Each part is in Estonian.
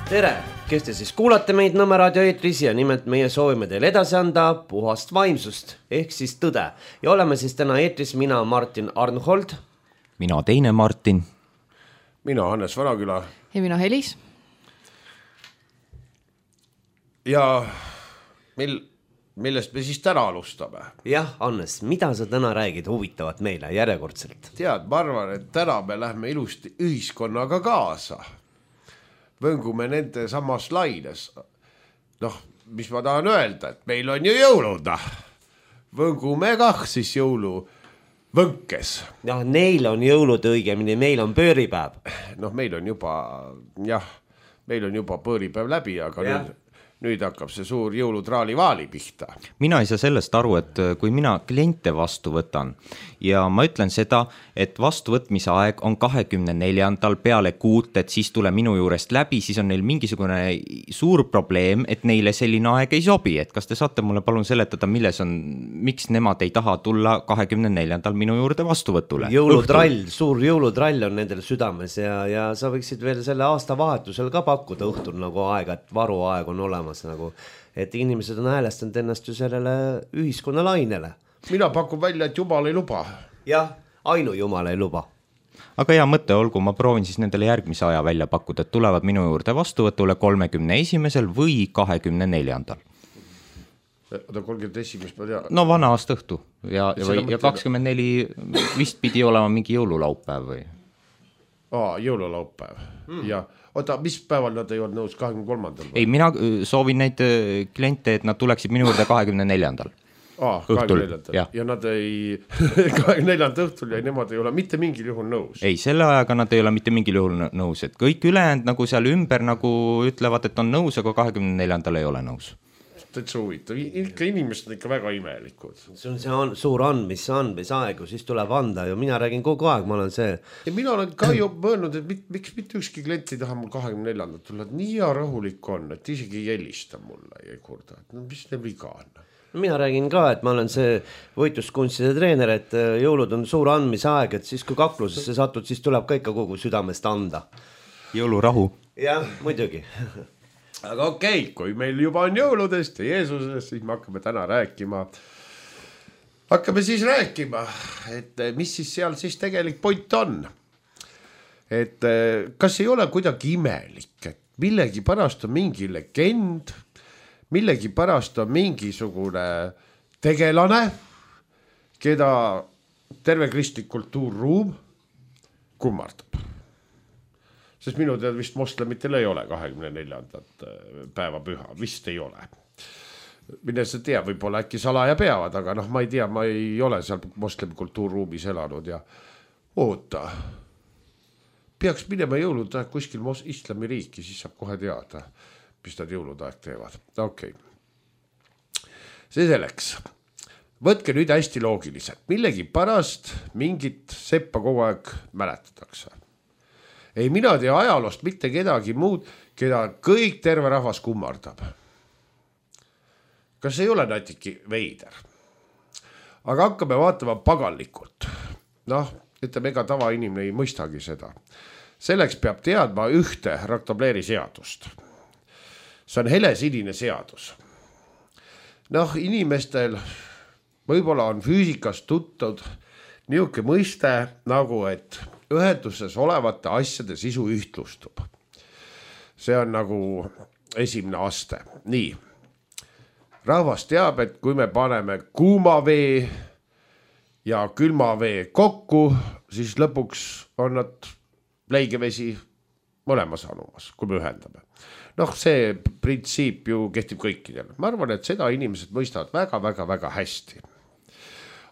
Tere, kes te siis kuulate meid Nõmme raadio eetris ja nimelt meie soovime teile edasi anda puhast vaimsust ehk siis tõde. Ja oleme siis täna eetris mina Martin Arnhold. Mina teine Martin. Mina Hannes Vanaküla. Ja mina Helis. Ja millest me siis täna alustame? Jah, Hannes, mida sa täna räägid huvitavat meile järjekordselt? Tead, ma arvan, et täna me lähme ilusti ühiskonnaga kaasa. Võngume nende samas laines. Mis ma tahan öelda, et meil on ju jõulud. Võngume kah siis jõuluvõnkes. Neil on jõulud õigemini, meil on pööripäev. Meil on juba pööripäev läbi, aga nüüd hakkab see suur jõulutraali-vaali pihta. Mina ei saa sellest aru, et kui mina kliente vastu võtan ja ma ütlen seda, et vastuvõtmise aeg on 24. peale kuut, et siis tule minu juurest läbi, siis on neil mingisugune suur probleem, et neile selline aeg ei sobi. Et kas te saate mulle palun seletada, miks nemad ei taha tulla 24. minu juurde vastuvõtule? Suur jõulutrall on nendel südames ja sa võiksid veel selle aasta vahetusel ka pakkuda õhtul nagu aega, et varuaeg on olemas. Et inimesed on häälestanud ennast ju sellele ühiskonna lainele. Mina pakun välja, et Jumal ei luba. Jah, ainu Jumal ei luba. Aga hea mõte olgu, ma proovin siis nendele järgmise aja välja pakkuda, et tulevad minu juurde vastuvõtule 31. või 24. 31. ma tean. No vana aasta õhtu ja 24 vist pidi olema mingi jõululaupäev või? Jõululaupäev, ja mis päeval nad ei olnud nõus 23. Ei, mina soovin neid kliente, et nad tuleksid minu juurde 24. õhtul. 24. Ja nad ei 24. õhtul ja nemad ei ole mitte mingil juhul nõus. Ei, selle ajaga nad ei ole mitte mingil juhul nõus, et kõik ülejäänud nagu seal ümber nagu ütlevad, et on nõus, aga 24. ei ole nõus. Täitsa huvitav, inimesed on ikka väga imelikud. See on suur andmisaeg, siis tuleb anda ja mina räägin kogu aeg, ma olen see. Ja mina olen ka ju mõelnud, et miks mitte ükski klient ei taha mul 24. tulla, et nii ja rahulik on, et isegi ei helista mulle ja ei kurda, et mis neil viga on. Mina räägin ka, et ma olen see võitluskunstide treener, et jõulud on suur andmisaeg, et siis kui kaklusesse satud, siis tuleb ka ikka kogu südamest anda. Jõulurahu. Jah, muidugi. Aga okei, kui meil juba on jõuludest ja Jeesusest, siis me hakkame täna rääkima. Hakkame siis rääkima, et mis siis seal siis tegelik point on. Et kas ei ole kuidagi imelik, et millegi pärast on mingi legend, millegi pärast on mingisugune tegelane, keda terve kristlik kultuurruum kummardab. Sest minu tead vist moslemitel ei ole 24. päeva püha, vist ei ole. Mine see tea, võib-olla äkki salaja peavad, aga ma ei tea, ma ei ole seal moslemi kultuurruumis elanud ja oota. Peaks minema jõuludaeg kuskil islamiriiki, siis saab kohe teada, mis nad jõuludaeg teevad. Okei. See selleks. Võtke nüüd hästi loogiliselt. Millegi pärast mingit seppa kogu aeg mäletatakse. Ei, mina tea ajaloost mitte kedagi muud, keda kõik terve rahvas kummardab. Kas ei ole natuke veider? Aga hakkame vaatama pagallikult. Ütleme, ega tavainimene ei mõistagi seda. Selleks peab teadma ühte raktobleeri seadust. See on helesinine seadus. Inimestel võib-olla on füüsikas tuttud niuke mõiste nagu, et ühenduses olevate asjade sisu ühtlustub. See on nagu esimene aste. Nii. Rahvas teab, et kui me paneme kuuma vee ja külma vee kokku, siis lõpuks on nad leigevesi mõlemas anumas, kui me ühendame. See printsiip ju kehtib kõikidele. Ma arvan, et seda inimesed mõistavad väga hästi.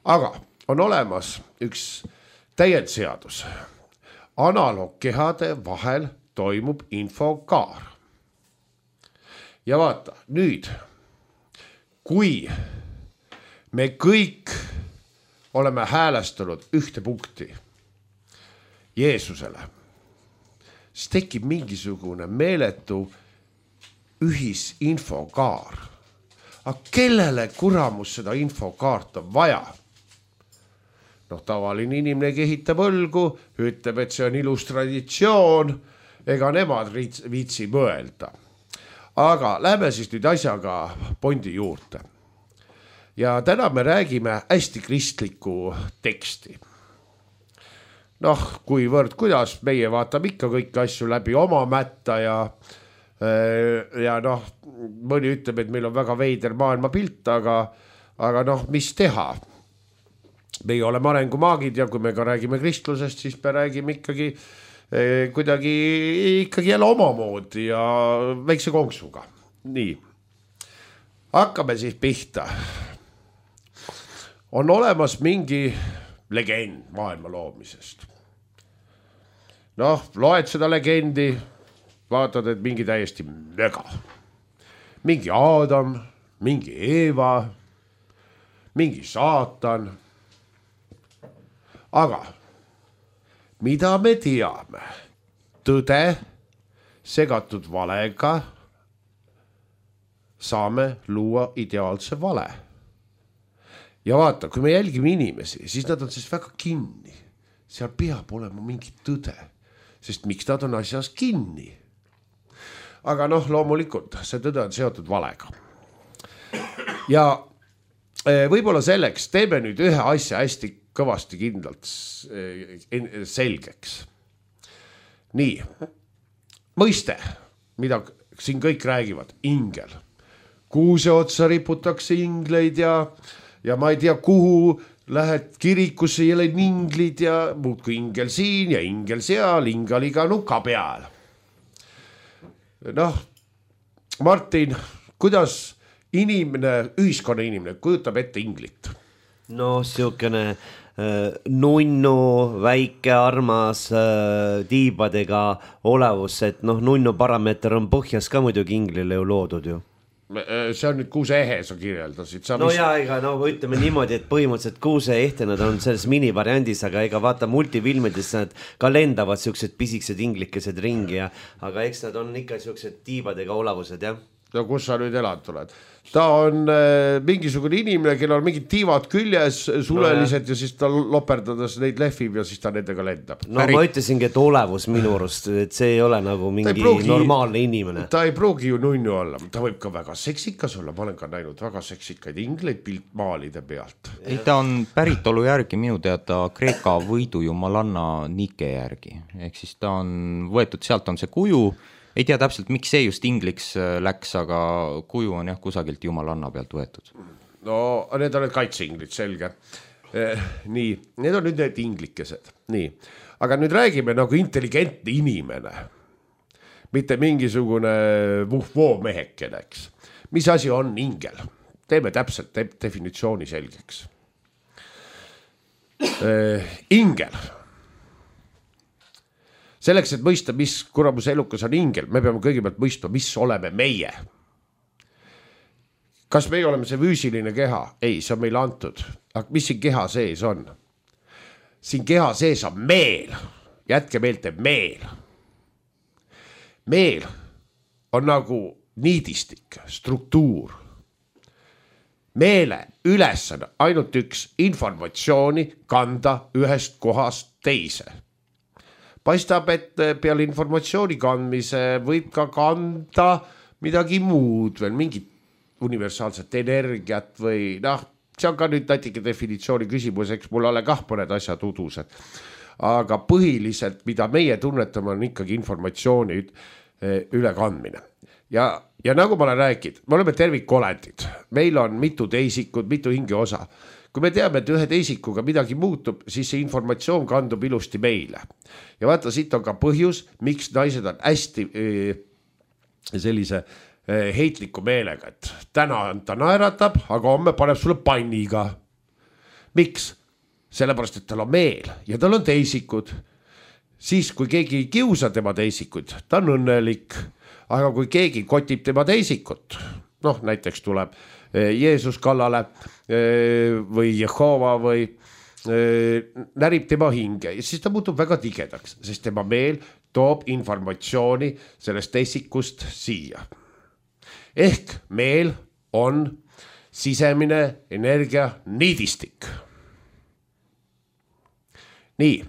Aga on olemas üks täiendseadus. Analoogkehade vahel toimub infokaar. Ja vaata, nüüd, kui me kõik oleme häälestanud ühte punkti Jeesusele, siis tekib mingisugune meeletu ühisinfokaar. Aga kellele kuramus seda infokaart on vaja? Tavaline inimene kehitab õlgu, ütleb, et see on ilus traditsioon ega nemad viitsi mõelda. Aga lähme siis nüüd asjaga Bondi juurde. Ja täna me räägime hästi kristlikku teksti. Noh, kuivõrd, kuidas meie vaatame ikka kõiki asju läbi oma mätta ja noh, mõni ütleb, et meil on väga veider maailmapilt, aga noh, mis teha? Meie oleme arengumaagid ja kui me ka räägime kristlusest, siis me räägime ikkagi kuidagi jälle omamoodi ja väikse konksuga. Nii, hakkame siis pihta. On olemas mingi legend maailma loomisest. Noh, loed seda legendi, vaatad, et mingi täiesti möga. Mingi Aadam, mingi Eeva, mingi saatan. Aga mida me teame? Tõde segatud valega saame luua ideaalse vale. Ja vaata, kui me jälgime inimesi, siis nad on siis väga kinni. Seal peab olema mingi tõde, sest miks nad on asjas kinni? Aga noh, loomulikult see tõde on seotud valega. Ja võib-olla selleks teeme nüüd ühe asja hästi kõvasti kindlalt selgeks. Nii, mõiste, mida siin kõik räägivad, ingel. Kuuse otsa riputakse ingleid ja ma ei tea, kuhu lähed kirikusse jälle inglid ja muudku ingel siin ja ingel seal, ingaliga nuka peal. Noh, Martin, kuidas ühiskonna inimene kujutab ette inglit? No siukene nunnu, väike, armas, tiibadega olevus, et noh, nunnu parameeter on põhjas ka muidugi inglile ju loodud ju. See on nüüd kuuse ehe, sa kirjeldasid. No jaa, ega no ütleme niimoodi, et põhimõtteliselt kuuse ehte nad on selles minivariandis, aga ega vaata multifilmides nad ka lendavad siuksed pisiksed inglikesed ringi, aga eks nad on ikka siuksed tiibadega olevused, jah. Ja kus sa nüüd elad tuled? Ta on mingisugune inimene, kellel on mingid tiivad küljes, sulelised ja siis ta loperdades neid lehvib ja siis ta nendega lendab. No ma ütlesingi, et olevus minu arust, et see ei ole nagu mingi normaalne inimene. Ta ei pruugi ju nunnu olla, ta võib ka väga seksikas olla, ma olen ka näinud väga seksikaid ingleid piltmaalide pealt. Ei, ta on päritolu järgi minu teada Kreeka võidujumalanna Nike järgi, ehk siis ta on võetud, sealt on see kuju. Ei tea täpselt, miks see just ingliks läks, aga kuju on jah kusagilt jumalanna pealt võetud. No need on need kaitseinglid, selge. Nii, need on nüüd need inglikesed. Nii, aga nüüd räägime nagu intelligentne inimene. Mitte mingisugune vuhvoo mehekeneks. Mis asi on ingel? Teeme täpselt definitsiooni selgeks. Ingel. Selleks, et mõista, mis kuramuse elukas on ingel, me peame kõigepealt mõistma, mis oleme meie. Kas meie oleme see füüsiline keha? Ei, see on meile antud. Aga mis siin keha sees on? Siin keha sees on meel. Jätke meelte meel. Meel on nagu niidistik, struktuur. Meele ülesanne ainult üks informatsiooni kanda ühest kohast teise. Paistab, et peale informatsiooni kandmise võib ka kanda midagi muud, veel mingit universaalset energiat või noh, see on ka nüüd natuke definitsiooni küsimus, eks mul ole kah mõned asjad udused. Aga põhiliselt, mida meie tunnetame, on ikkagi informatsiooni ülekandmine. Ja nagu ma olen rääkinud, me oleme tervikolendid, meil on mitu teisikud, mitu hingeosa. Kui me teame, et ühe teisikuga midagi muutub, siis see informatsioon kandub ilusti meile. Ja vaata, siit on ka põhjus, miks naised on hästi sellise heitliku meelega, et täna ta naeratab, aga homme paneb sulle panniga. Miks? Sellepärast, et tal on meel ja tal on teisikud. Siis, kui keegi ei kiusa tema teisikud, ta on õnnelik. Aga kui keegi kotib tema teisikut, noh, näiteks tuleb Jeesus kallale või Jehova või närib tema hinge ja siis ta muutub väga tigedaks, sest tema meel toob informatsiooni sellest teisikust siia. Ehk meel on sisemine energia niidistik. Nii.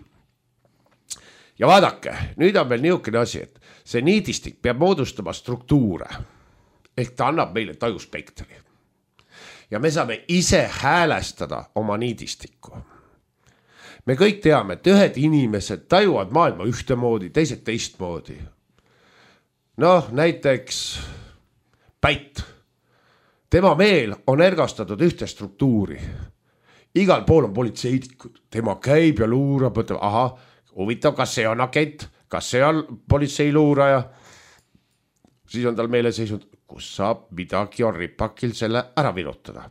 Ja vaadake, nüüd on meil niisugune asi, et see niidistik peab moodustama struktuure ehk ta annab meile tajuspektri ja me saame ise häälestada oma niidistikku. Me kõik teame, et ühed inimesed tajuvad maailma ühtemoodi, teised teistmoodi. Noh, näiteks Päit. Tema meel on ergastatud ühte struktuuri. Igal pool on politseidikud. Tema käib ja luurab, mõtleb, aha, huvitav, kas see on agent, kas see on politseiluuraja. Siis on tal meeleseisund, kus saab midagi on ripakil selle ära virutada.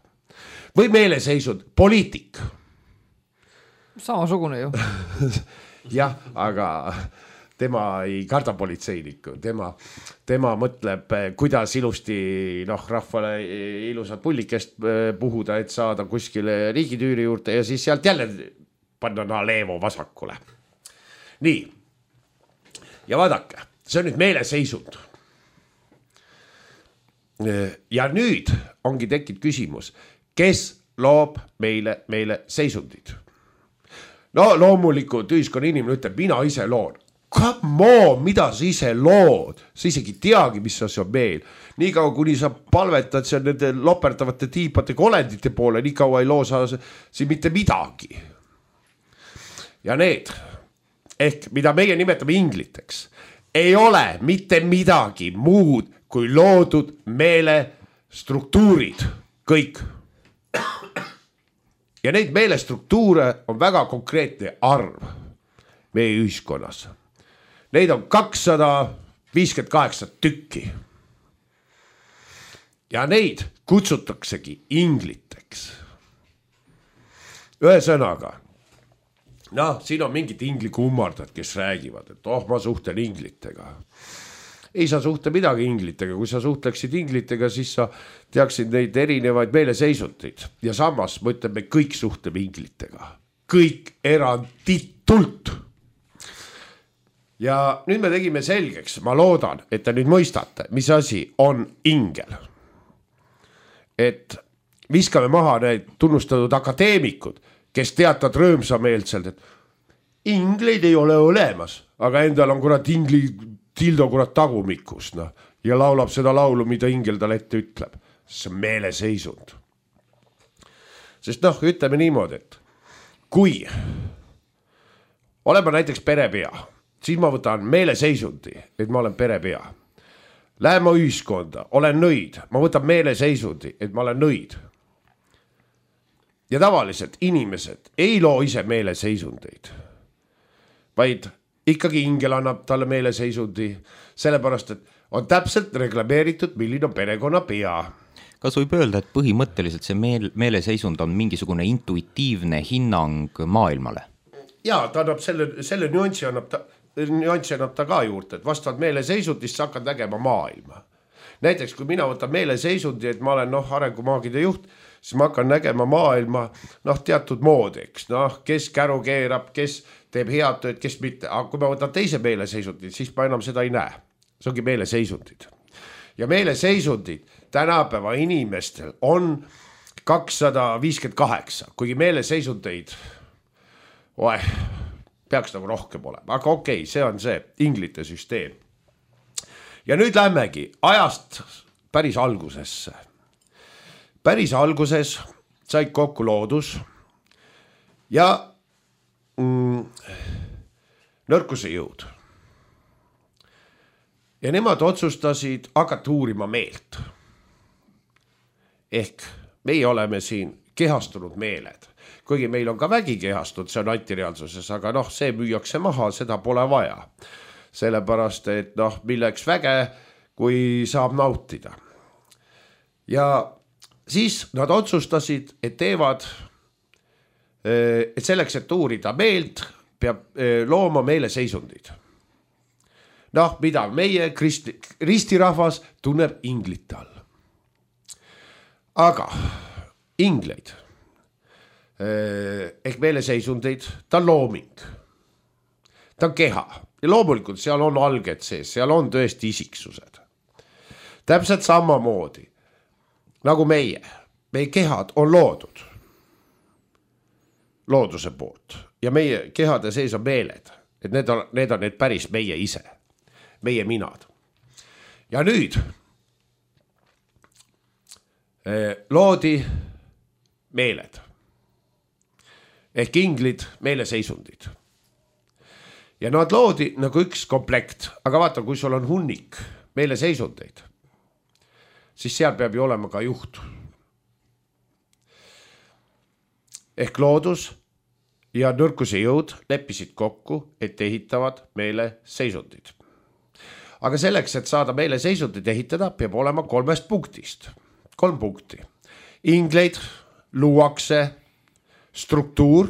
Või meeleseisund, poliitik. Samasugune ju. Jah, aga tema ei karda politseinikku. Tema mõtleb, kuidas ilusti rahvale ilusat pullikest puhuda, et saada kuskile riigitüüri juurde ja siis sealt jälle panna leevo vasakule. Nii. Ja vaadake, see on nüüd meeleseisund. Ja nüüd ongi tekkinud küsimus, kes loob meile seisundid? No loomulikult ühiskonna inimene ütleb, mina ise loon. Come on, mida sa ise lood? Sa isegi teagi, mis see on meil. Nii kaua, kuni sa palvetad seal nende loperdavate tiipade kolendite poole, nii kaua ei loo sa siin mitte midagi. Ja need, ehk mida meie nimetame ingliteks, ei ole mitte midagi muud kui loodud meelestruktuurid, kõik. Ja neid meelestruktuure on väga konkreetne arv meie ühiskonnas. Neid on 258 tükki. Ja neid kutsutaksegi ingliteks. Ühesõnaga, siin on mingid inglikummardad, kes räägivad, et ma suhtlen inglitega. Ei sa suhtle midagi inglitega, kui sa suhtleksid inglitega, siis sa teaksid neid erinevaid meeleseisundid. Ja samas ma ütlen, me kõik suhtleme inglitega. Kõik eranditult. Ja nüüd me tegime selgeks, ma loodan, et te nüüd mõistate, mis asi on ingel. Et viskame maha need tunnustatud akadeemikud, kes teatavad rõõmsameelselt, et ingleid ei ole olemas, aga endal on kurat ingli tildo kurat tagumikus ja laulab seda laulu, mida ingel tal ette ütleb. See on meeleseisund. Sest ütleme niimoodi, et kui olen ma näiteks perepea, siis ma võtan meeleseisundi, et ma olen perepea. Lähen ma ühiskonda, olen nõid, ma võtan meeleseisundi, et ma olen nõid. Ja tavaliselt inimesed ei loo ise meeleseisundeid, vaid ikkagi ingel annab talle meeleseisundi, sellepärast, et on täpselt reklameeritud, milline on perekonna pea. Kas võib öelda, et põhimõtteliselt see meeleseisund on mingisugune intuitiivne hinnang maailmale? Jaa, ta annab selle nüanssi annab ta ka juurde, et vastavalt meeleseisundist sa hakkad nägema maailma. Näiteks, kui mina võtan meeleseisundi, et ma olen arengumaagide juht, siis ma hakkan nägema maailma teatud moodeks, kes käru keerab, kes teeb head tööd, kes mitte. Aga kui ma võtan teise meeleseisundid, siis ma enam seda ei näe. See ongi meeleseisundid. Ja meeleseisundid tänapäeva inimestel on 258, kuigi meeleseisundeid peaks rohkem olema. Aga okei, see on see inglite süsteem. Ja nüüd lähmegi ajast päris algusesse. Päris alguses said kokku loodus ja nõrkuse jõud. Ja nemad otsustasid hakata uurima meelt. Ehk meie oleme siin kehastunud meeled. Kuigi meil on ka vägi kehastunud, see on antireaalsuses, aga see müüakse maha, seda pole vaja. Sellepärast, et milleks väge, kui saab nautida. Ja siis nad otsustasid, et teevad, et selleks, et uurida meelt, peab looma meeleseisundid. Mida meie ristirahvas tunneb inglite all. Aga ingleid ehk meeleseisundeid, ta on looming. Ta on keha. Ja loomulikult seal on alged sees, seal on tõesti isiksused. Täpselt samamoodi nagu meie kehad on loodud looduse poolt ja meie kehade sees on meeled, et need on need päris meie ise. meie minad. Ja nüüd loodi meeled ehk inglid, meeleseisundid. Ja nad loodi nagu üks komplekt, aga vaata, kui sul on hunnik meeleseisundeid, siis seal peab ju olema ka juht. Ehk loodus ja nõrkuse jõud leppisid kokku, et ehitavad meeleseisundid. Aga selleks, et saada meeleseisundid ehitada, peab olema 3 punktist. 3 punkti. Ingleid luuakse struktuur,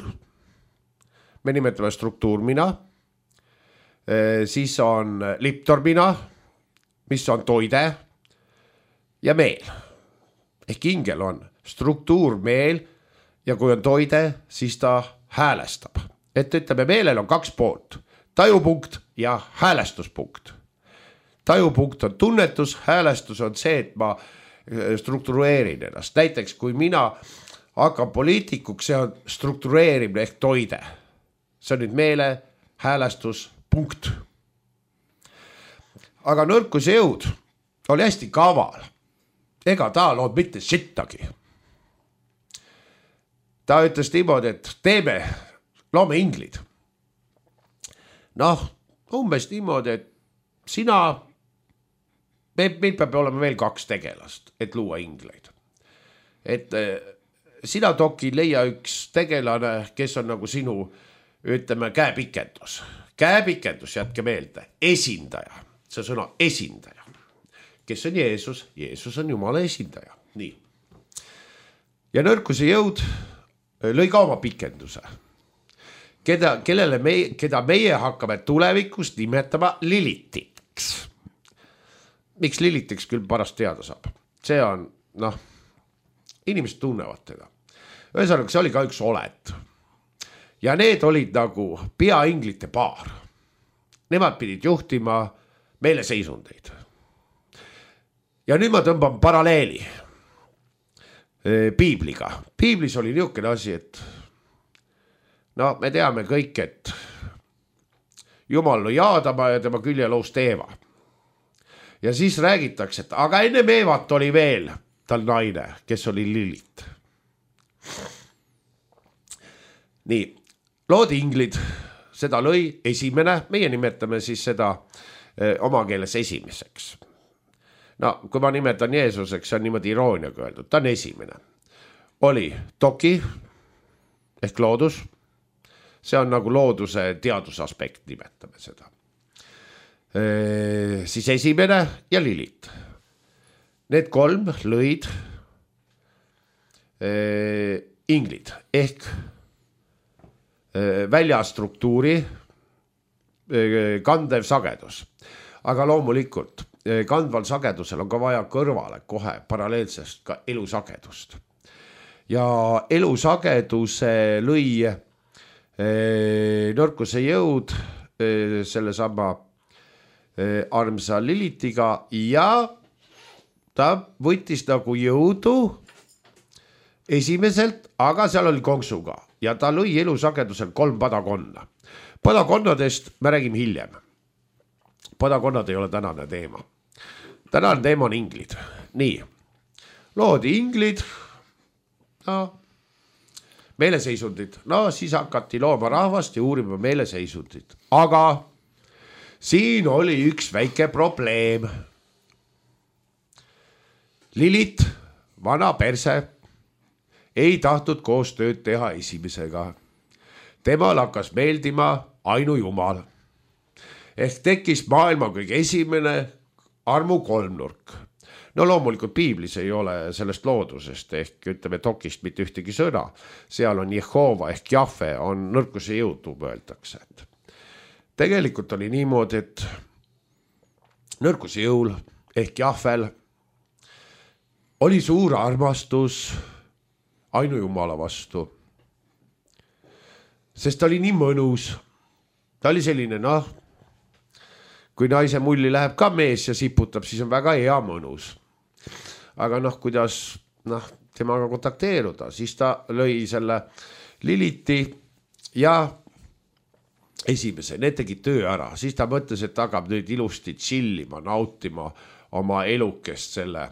me nimetame struktuurmina, siis on liptormina, mis on toide ja meel. Ehk ingel on struktuurmeel ja kui on toide, siis ta häälestab. Et ütleme, meelel on 2 poolt, tajupunkt ja häälestuspunkt. Tajupunkt on tunnetus, häälestus on see, et ma struktureerin ennast. Näiteks, kui mina hakkan poliitikuks, see on struktureerimine ehk toide. See on nüüd meele, häälestus, punkt. Aga nõrkuse jõud oli hästi kaval. Ega ta lood mitte sittagi. Ta ütles niimoodi, et loome inglid. Noh, umbes niimoodi, et meil peab olema veel 2 tegelast, et luua ingleid. Et sina, Toki, leia üks tegelane, kes on nagu sinu, ütleme, käepikendus. Käepikendus, jätke meelde, esindaja. See sõna esindaja. Kes on Jeesus? Jeesus on Jumala esindaja. Nii. Ja nõrkuse jõud lõi ka oma pikenduse. Keda meie hakkame tulevikus nimetama Lilitiks. Miks Lilitiks küll pärast teada saab? See on, inimesed tunnevad teda. Ühesõnaga, see oli ka üks oled. Ja need olid nagu peainglite paar. Nemad pidid juhtima meeleseisundeid. Ja nüüd ma tõmban paralleeli Piibliga. Piiblis oli niisugune asi, et me teame kõik, et Jumal lõi Aadama ja tema küljeloost Eeva. Ja siis räägitakse, et aga enne Eevat oli veel tal naine, kes oli Lilit. Nii, loodi inglid, seda lõi esimene, meie nimetame siis seda oma keeles esimeseks. Kui ma nimetan Jeesuseks, see on niimoodi irooniaga öeldud, ta on esimene. Oli Toki ehk loodus, see on nagu looduse teadusaspekt, nimetame seda. Siis esimene ja Lilit. Need 3 lõid inglid ehk väljastruktuuri kandev sagedus. Aga loomulikult kandval sagedusel on ka vaja kõrvale kohe paralleelsest ka elusagedust. Ja elusageduse lõi nõrkuse jõud selle sama armsa Lilitiga ja ta võttis nagu jõudu esimeselt, aga seal oli konksuga ja ta lõi elusagedusel 3 padakonna. Padakonnadest me räägime hiljem. Padakonnad ei ole tänane teema. Tänane teema on inglid. Nii, loodi inglid, meeleseisundid. Siis hakati looma rahvast ja uurima meeleseisundid. Aga siin oli üks väike probleem. Lilit, vana perse, ei tahtnud koostööd teha esimesega. Temal hakkas meeldima ainu Jumal. Ehk tekkis maailma kõige esimene armu kolmnurk. Loomulikult Piiblis ei ole sellest loodusest ehk ütleme Tokist mitte ühtegi sõna. Seal on Jehova ehk Jahve on nõrkuse jõudu öeldakse. Tegelikult oli niimoodi, et nõrkuse jõul ehk Jahvel oli suur armastus ainu Jumala vastu. Sest ta oli nii mõnus. Ta oli selline, kui naise mulli läheb ka mees ja siputab, siis on väga hea mõnus. Aga kuidas temaga kontakteeruda, siis ta lõi selle Liliti ja esimese, need tegid töö ära, siis ta mõtles, et hakkab nüüd ilusti chillima, nautima oma elukest selle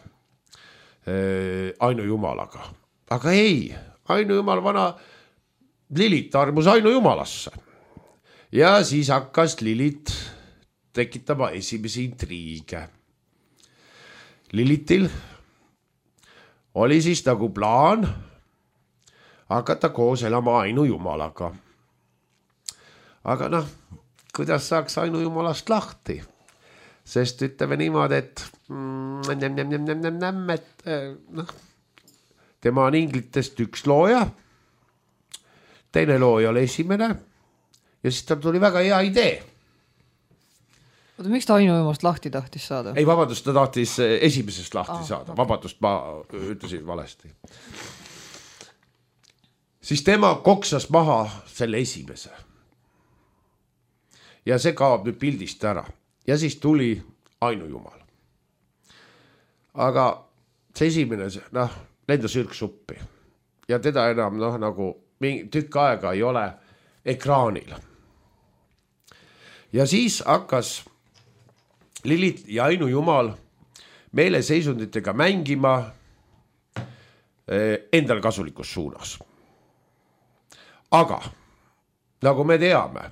ainujumalaga. Aga ei, ainujumal vana Lilit armus ainujumalasse. Ja siis hakkas Lilit tekitama esimesi intriige. Lilitil oli siis nagu plaan hakata koos elama ainujumalaga. Aga noh, kuidas saaks ainujumalast lahti? Sest ütleme niimoodi, et tema on inglitest üks looja, teine looja oli esimene ja siis tal tuli väga hea idee. Oota, miks ta ainujumast lahti tahtis saada? Ei, vabandust, ta tahtis esimesest lahti saada. Vabandust, ma ütlesin valesti. Siis tema koksas maha selle esimese. Ja see kaob nüüd pildist ära. Ja siis tuli ainujumal. Aga see esimene, lendas ürksuppi. Ja teda enam nagu tükk aega ei ole ekraanil. Ja siis hakkas Lilit ja ainujumal meeleseisunditega mängima endal kasulikus suunas. Aga nagu me teame,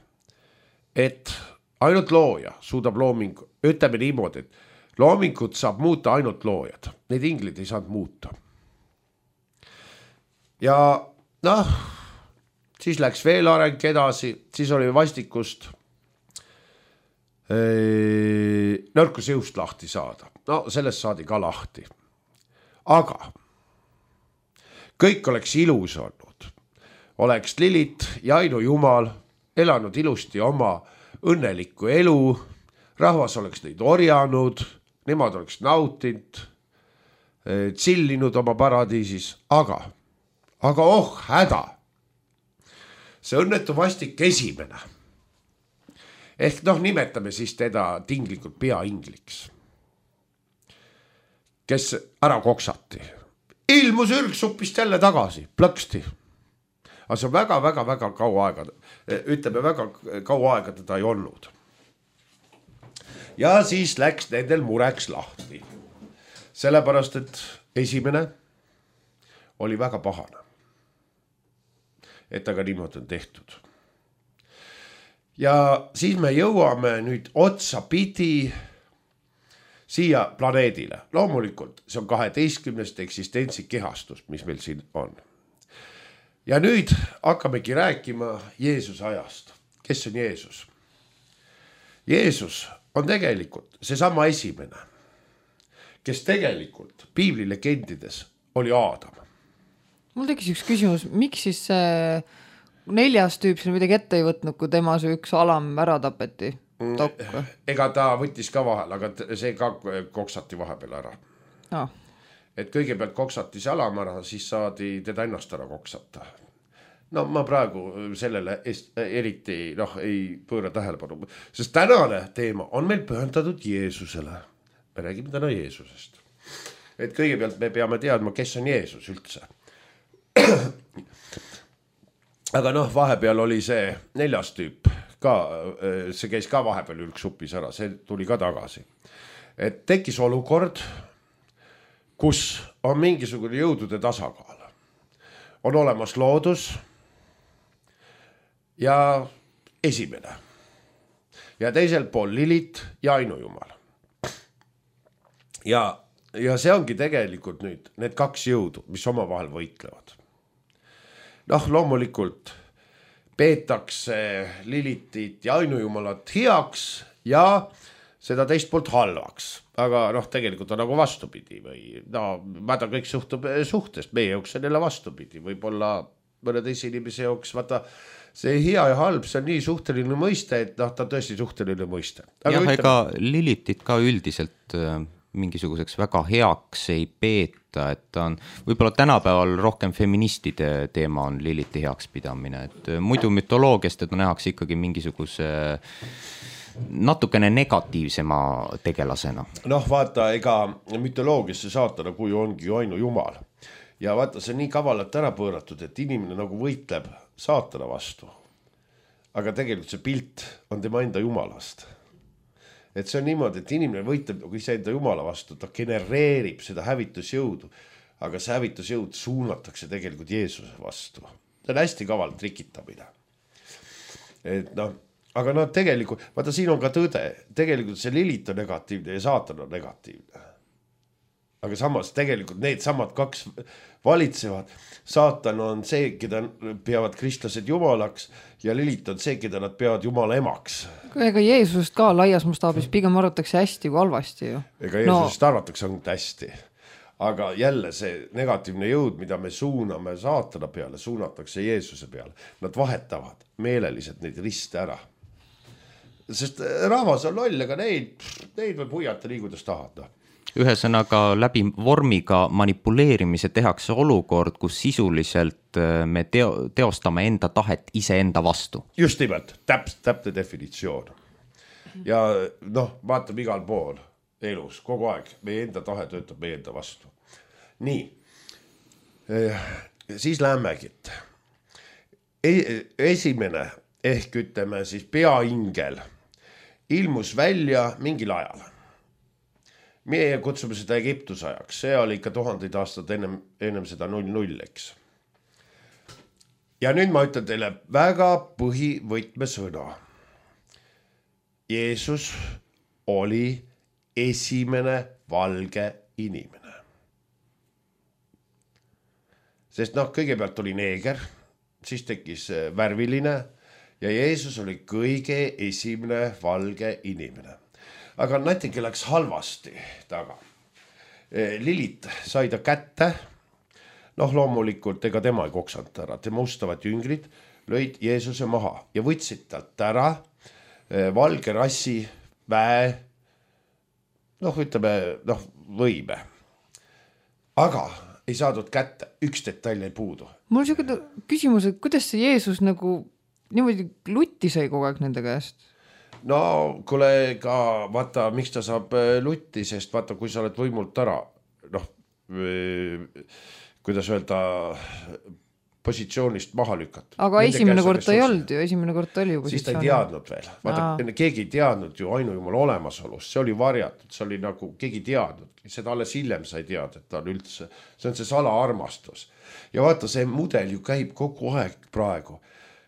et ainult looja suudab loomingu, ütleme niimoodi, et loomingut saab muuta ainult loojad. Need inglid ei saanud muuta. Ja siis läks veel areng edasi, siis oli vastikust nõrkuse jõust lahti saada. No sellest saadi ka lahti. Aga kõik oleks ilus olnud. Oleks Lilit ja ainujumal elanud ilusti oma õnnelikku elu, rahvas oleks neid orjanud, nemad oleks nautinud, tsillinud oma paradiisis, aga häda. See õnnetu vastik esimene. Ehk nimetame siis teda tinglikult peaingliks, kes ära koksati. Ilmus ürksupist jälle tagasi, plõksti. Aga see on väga kaua aega, ütleme väga kaua aega teda ei olnud. Ja siis läks nendel mureks lahti. Sellepärast, et esimene oli väga pahane. Et aga niimoodi on tehtud. Ja siis me jõuame nüüd otsapidi siia planeedile. Loomulikult see on 12. eksistentsi kehastus, mis meil siin on. Ja nüüd hakkamegi rääkima Jeesuse ajast. Kes on Jeesus? Jeesus on tegelikult seesama esimene, kes tegelikult piibli legendides oli Aadam. Mul tekkis üks küsimus, miks siis see 4. tüüp siin midagi ette ei võtnud, kui tema see üks alam ära tapeti? Ega ta võttis ka vahel, aga see ka koksati vahepeal ära. Et kõigepealt koksati see alam ära, siis saadi teda ennast ära koksata. No ma praegu sellele eriti ei pööra tähelepanu, sest tänane teema on meil pühendatud Jeesusele. Me räägime täna Jeesusest. Et kõigepealt me peame teadma, kes on Jeesus üldse. Aga vahepeal oli see 4. tüüp ka, see käis ka vahepeal ürksupis ära, see tuli ka tagasi. Et tekkis olukord, kus on mingisugune jõudude tasakaal. On olemas loodus ja esimene. Ja teisel pool Lilit ja ainujumal. Ja see ongi tegelikult nüüd need 2 jõudu, mis omavahel võitlevad. Loomulikult peetakse Lilitit ja ainujumalat heaks ja seda teist poolt halvaks. Aga tegelikult on nagu vastupidi või vaata kõik suhtub suhtest, meie jooks on jälle vastupidi. Võib-olla mõne teise inimese jooks, vaata see hea ja halb, see on nii suhteline mõiste, et ta on tõesti suhteline mõiste. Aga ega Lilitit ka üldiselt mingisuguseks väga heaks ei peeta, et on võib-olla tänapäeval rohkem feministide teema on Liliti heaks pidamine, et muidu mütoloogiast, et nähakse ikkagi mingisuguse natukene negatiivsema tegelasena. Vaata, ega mütoloogiasse saatana kui ongi ju ainujumal. Ja vaata, see on nii kavalalt ära pööratud, et inimene nagu võitleb saatana vastu. aga tegelikult see pilt on tema enda jumalast. Et see on niimoodi, et inimene võitleb nagu iseenda jumala vastu, ta genereerib seda hävitusjõudu, aga see hävitusjõud suunatakse tegelikult Jeesuse vastu. See on hästi kaval trikitamine. Et noh, aga noh, tegelikult, vaata siin on ka tõde, tegelikult see Lilith on negatiivne ja saatan on negatiivne. Aga samas tegelikult need samad kaks valitsevad. Saatan on see, keda peavad kristlased jumalaks ja Lilith on see, keda nad peavad jumala emaks. Ega Jeesusest ka laias mastaabis pigem arvatakse hästi kui halvasti ju. Ega Jeesusest arvatakse ainult hästi. Aga jälle see negatiivne jõud, mida me suuname saatana peale, suunatakse Jeesuse peale. Nad vahetavad meeleliselt neid riste ära. Sest rahvas on loll, aga neid võib huiata nii, kuidas tahad. Ühesõnaga läbi vormiga manipuleerimise tehakse olukord, kus sisuliselt me teostame enda tahet iseenda vastu. Just nimelt, täpne definitsioon. Ja noh, vaatab igal pool elus, kogu aeg, meie enda tahe töötab meie enda vastu. Nii, siis lähmegi. Esimene ehk ütleme siis peaingel ilmus välja mingil ajal. Meie kutsume seda Egiptuse ajaks, see oli ikka 1000 aastat ennem seda 00, eks. Ja nüüd ma ütlen teile väga põhivõtmesõna. Jeesus oli esimene valge inimene. Sest noh, kõigepealt oli neeger, siis tekkis värviline ja Jeesus oli kõige esimene valge inimene. Aga natuke läks halvasti taga. Lilith sai ta kätte. Noh, loomulikult ega tema ei koksanud ära. Tema ustavad jüngrid lõid Jeesuse maha ja võtsid talt ära valge rassi väe, noh, ütleme, võime. Aga ei saadud kätte, üks detail ei puudu. Mul on selline küsimus, et kuidas see Jeesus nagu niimoodi lutti sai kogu aeg nende käest? No, kuule ka, vaata, miks ta saab lutti, sest vaata, kui sa oled võimult ära, noh, kuidas öelda, positsioonist maha lükatud. Aga esimene kord ta ei olnud ju, esimene kord ta oli ju positsioon. Siis ta ei teadnud veel. Vaata, keegi ei teadnud ju ainujumal olemasolust, see oli varjatud, see oli nagu, keegi ei teadnud. Seda alles hiljem sai teada, et ta on üldse, see on see salaarmastus. Ja vaata, see mudel ju käib kogu aeg praegu.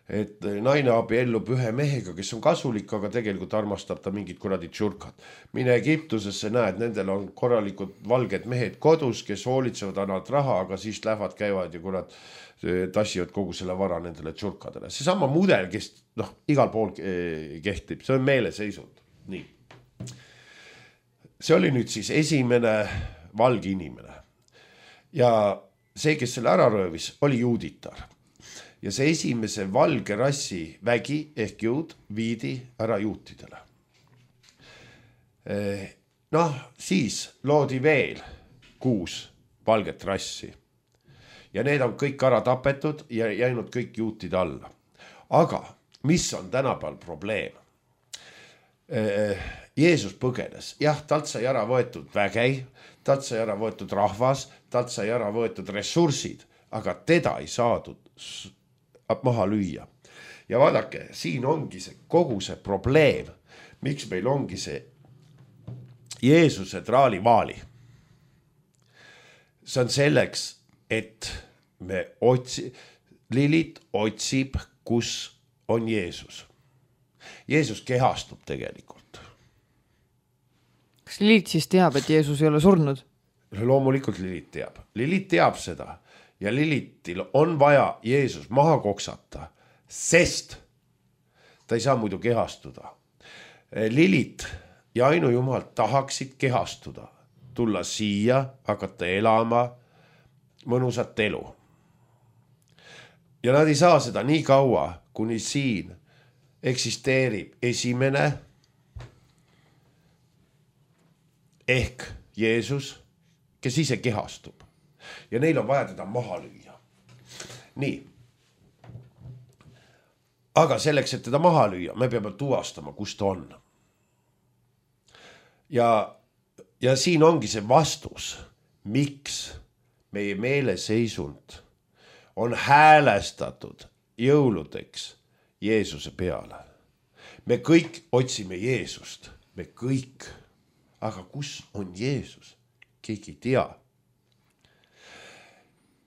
Et naine abiellub ühe mehega, kes on kasulik, aga tegelikult armastab ta mingid kuradi tšurkad. Mine Egiptusesse näed, nendel on korralikud valged mehed kodus, kes hoolitsevad, annavad raha, aga siis lähevad, käivad ja kurat tassivad kogu selle vara nendele tšurkadele. See sama mudel, kes igal pool kehtib, see on meeleseisund. Nii. See oli nüüd siis esimene valge inimene. Ja see, kes selle ära röövis, oli juuditar. Ja see esimese valge rassi vägi ehk jõud viidi ära juutidele. Noh, siis loodi veel 6 valget rassi. Ja need on kõik ära tapetud ja jäinud kõik juutide alla. Aga mis on tänapäeval probleem? Jeesus põgenes. Jah, talt sai ära võetud vägei, talt sai ära võetud rahvas, talt sai ära võetud ressursid, aga teda ei saadud maha lüüa. Ja vaadake, siin ongi see kogu see probleem, miks meil ongi see Jeesuse traalivaali. See on selleks, et Lilith otsib, kus on Jeesus. Jeesus kehastub tegelikult. Kas Lilith siis teab, et Jeesus ei ole surnud? Loomulikult Lilith teab. Lilith teab seda. Ja Lilithil on vaja Jeesus maha koksata, sest ta ei saa muidu kehastuda. Lilith ja ainujumal tahaksid kehastuda, tulla siia, hakata elama mõnusat elu. Ja nad ei saa seda nii kaua, kuni siin eksisteerib esimene ehk Jeesus, kes ise kehastub. Ja neil on vaja teda maha lüüa. Nii. Aga selleks, et teda maha lüüa, me peame tuvastama, kus ta on. Ja siin ongi see vastus, miks meie meeleseisund on häälestatud jõuludeks Jeesuse peale. Me kõik otsime Jeesust, me kõik. Aga kus on Jeesus? Keegi ei tea.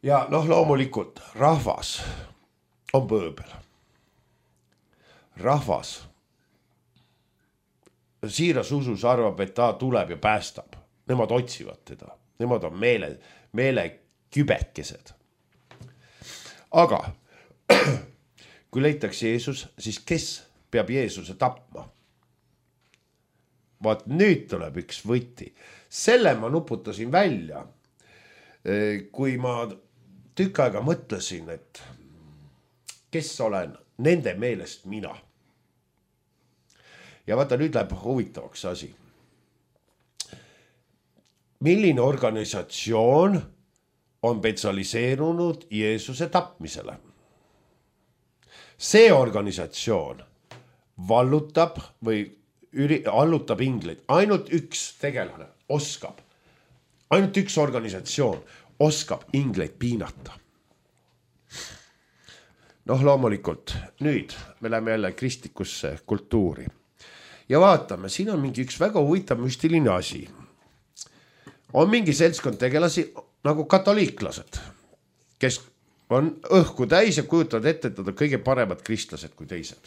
Ja loomulikult rahvas on pööbel. Rahvas siiras usus arvab, et ta tuleb ja päästab. Nemad otsivad teda. Nemad on meele kübetkesed. Aga kui leitakse Jeesus, siis kes peab Jeesuse tapma? Vaat nüüd tuleb üks võti. Selle ma nuputasin välja, kui ma tükk aega mõtlesin, et kes olen nende meelest mina. Ja vaata, nüüd läheb huvitavaks asi. Milline organisatsioon on spetsialiseerunud Jeesuse tapmisele? See organisatsioon vallutab või allutab ingleid. Ainult üks tegelane oskab. Ainult üks organisatsioon oskab ingleid piinata. Loomulikult, nüüd me läheme jälle kristlikusse kultuuri. Ja vaatame, siin on mingi üks väga huvitav müstiline asi. On mingi seltskond tegelasi nagu katoliiklased, kes on õhku täis ja kujutavad ette, et nad on kõige paremad kristlased kui teised.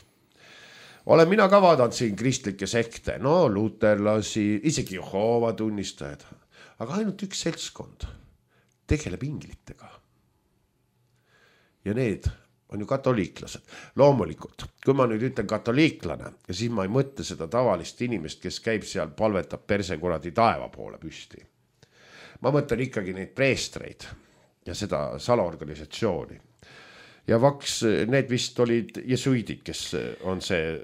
Olen mina ka vaadanud siin kristlikke sekte, luterlasi, isegi Jehoova tunnistajad. Aga ainult üks seltskond tegeleb inglitega. Ja need on ju katoliiklased. Loomulikult, kui ma nüüd ütlen katoliiklane, ja siis ma ei mõtle seda tavalist inimest, kes käib seal, palvetab persekuradi taeva poole püsti. Ma mõtlen ikkagi neid preestreid ja seda salaorganisatsiooni. Ja need vist olid jesuidid, kes on see,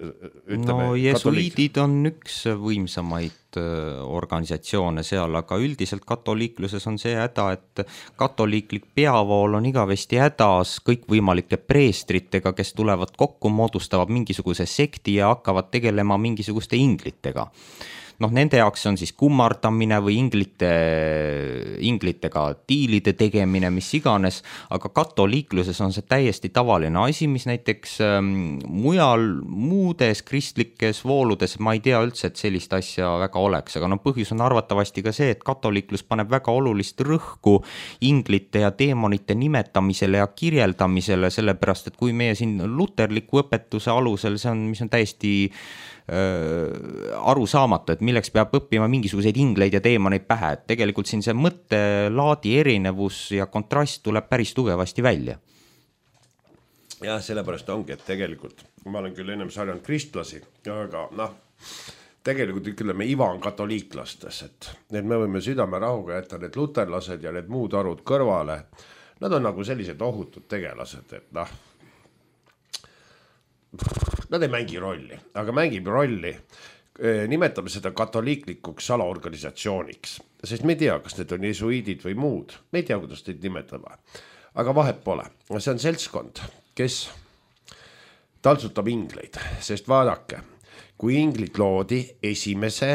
ütleme, jesuidid on üks võimsamaid organisatsioone seal, aga üldiselt katoliikluses on see häda, et katoliiklik peavool on igavesti hädas kõikvõimalike preestritega, kes tulevad kokku, moodustavad mingisuguse sekti ja hakkavad tegelema mingisuguste inglitega. Nende jaoks on siis kummardamine või inglitega diilide tegemine, mis iganes, aga katoliikluses on see täiesti tavaline asi, mis näiteks mujal muudes kristlikes vooludes, ma ei tea üldse, et sellist asja väga oleks, aga põhjus on arvatavasti ka see, et katoliiklus paneb väga olulist rõhku inglite ja teemonite nimetamisele ja kirjeldamisele, sellepärast, et kui meie siin luterliku õpetuse alusel, see on, mis on täiesti aru saamata, et milleks peab õppima mingisuguseid ingleid ja teemoneid pähe, et tegelikult siin see mõttelaadi erinevus ja kontrast tuleb päris tugevasti välja. Ja sellepärast ongi, et tegelikult ma olen küll ennem sarjanud kristlasi, aga tegelikult ütleme Iva on katoliiklastes, et me võime südame rahuga jätta need luterlased ja need muud arvud kõrvale. Nad on nagu sellised ohutud tegelased, et nad ei mängi rolli, aga mängib rolli, nimetame seda katoliiklikuks salaorganisatsiooniks, sest me ei tea, kas need on jesuidid või muud, me ei tea, kuidas neid nimetame, aga vahet pole. See on seltskond, kes taltsutab ingleid, sest vaadake, kui inglid loodi esimese